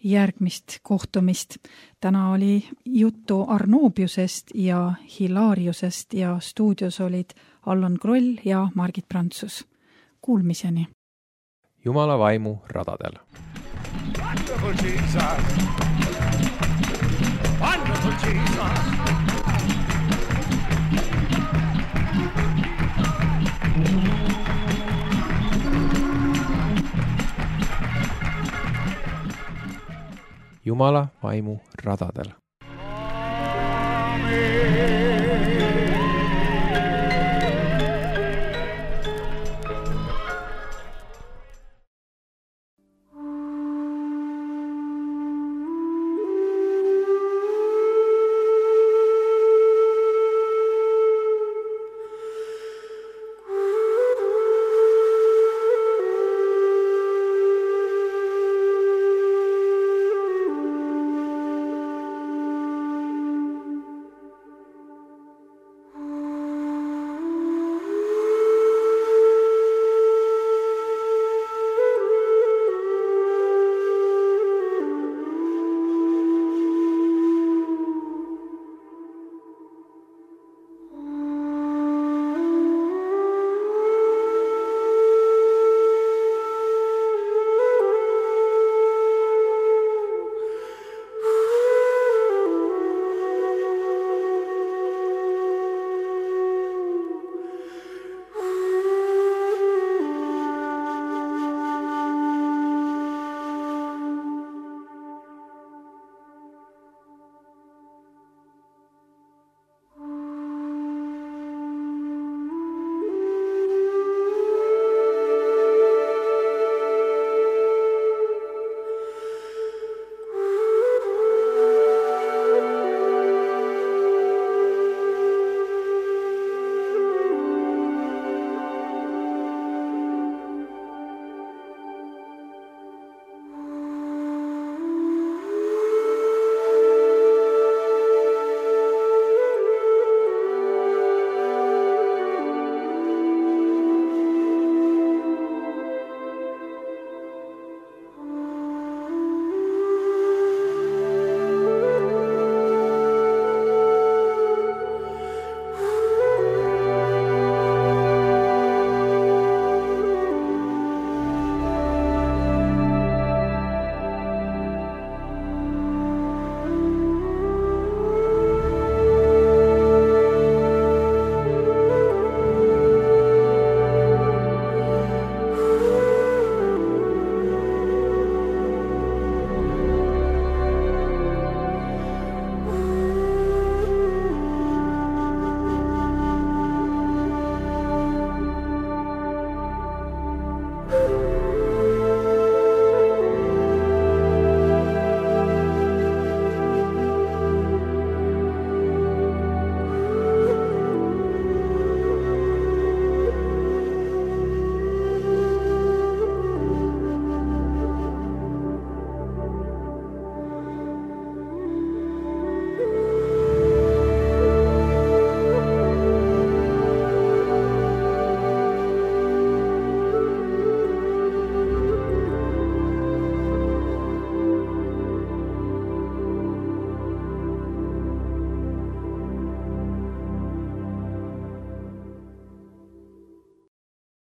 järgmist kohtumist. Täna oli juttu Arnobiusest ja Hilariusest ja stuudios olid Allan Kroll ja Margit Prantsus. Kuulmiseni. Jumala vaimu radadel. Wonderful Jesus. Wonderful Jesus. Jumala vaimu radadel. Amen.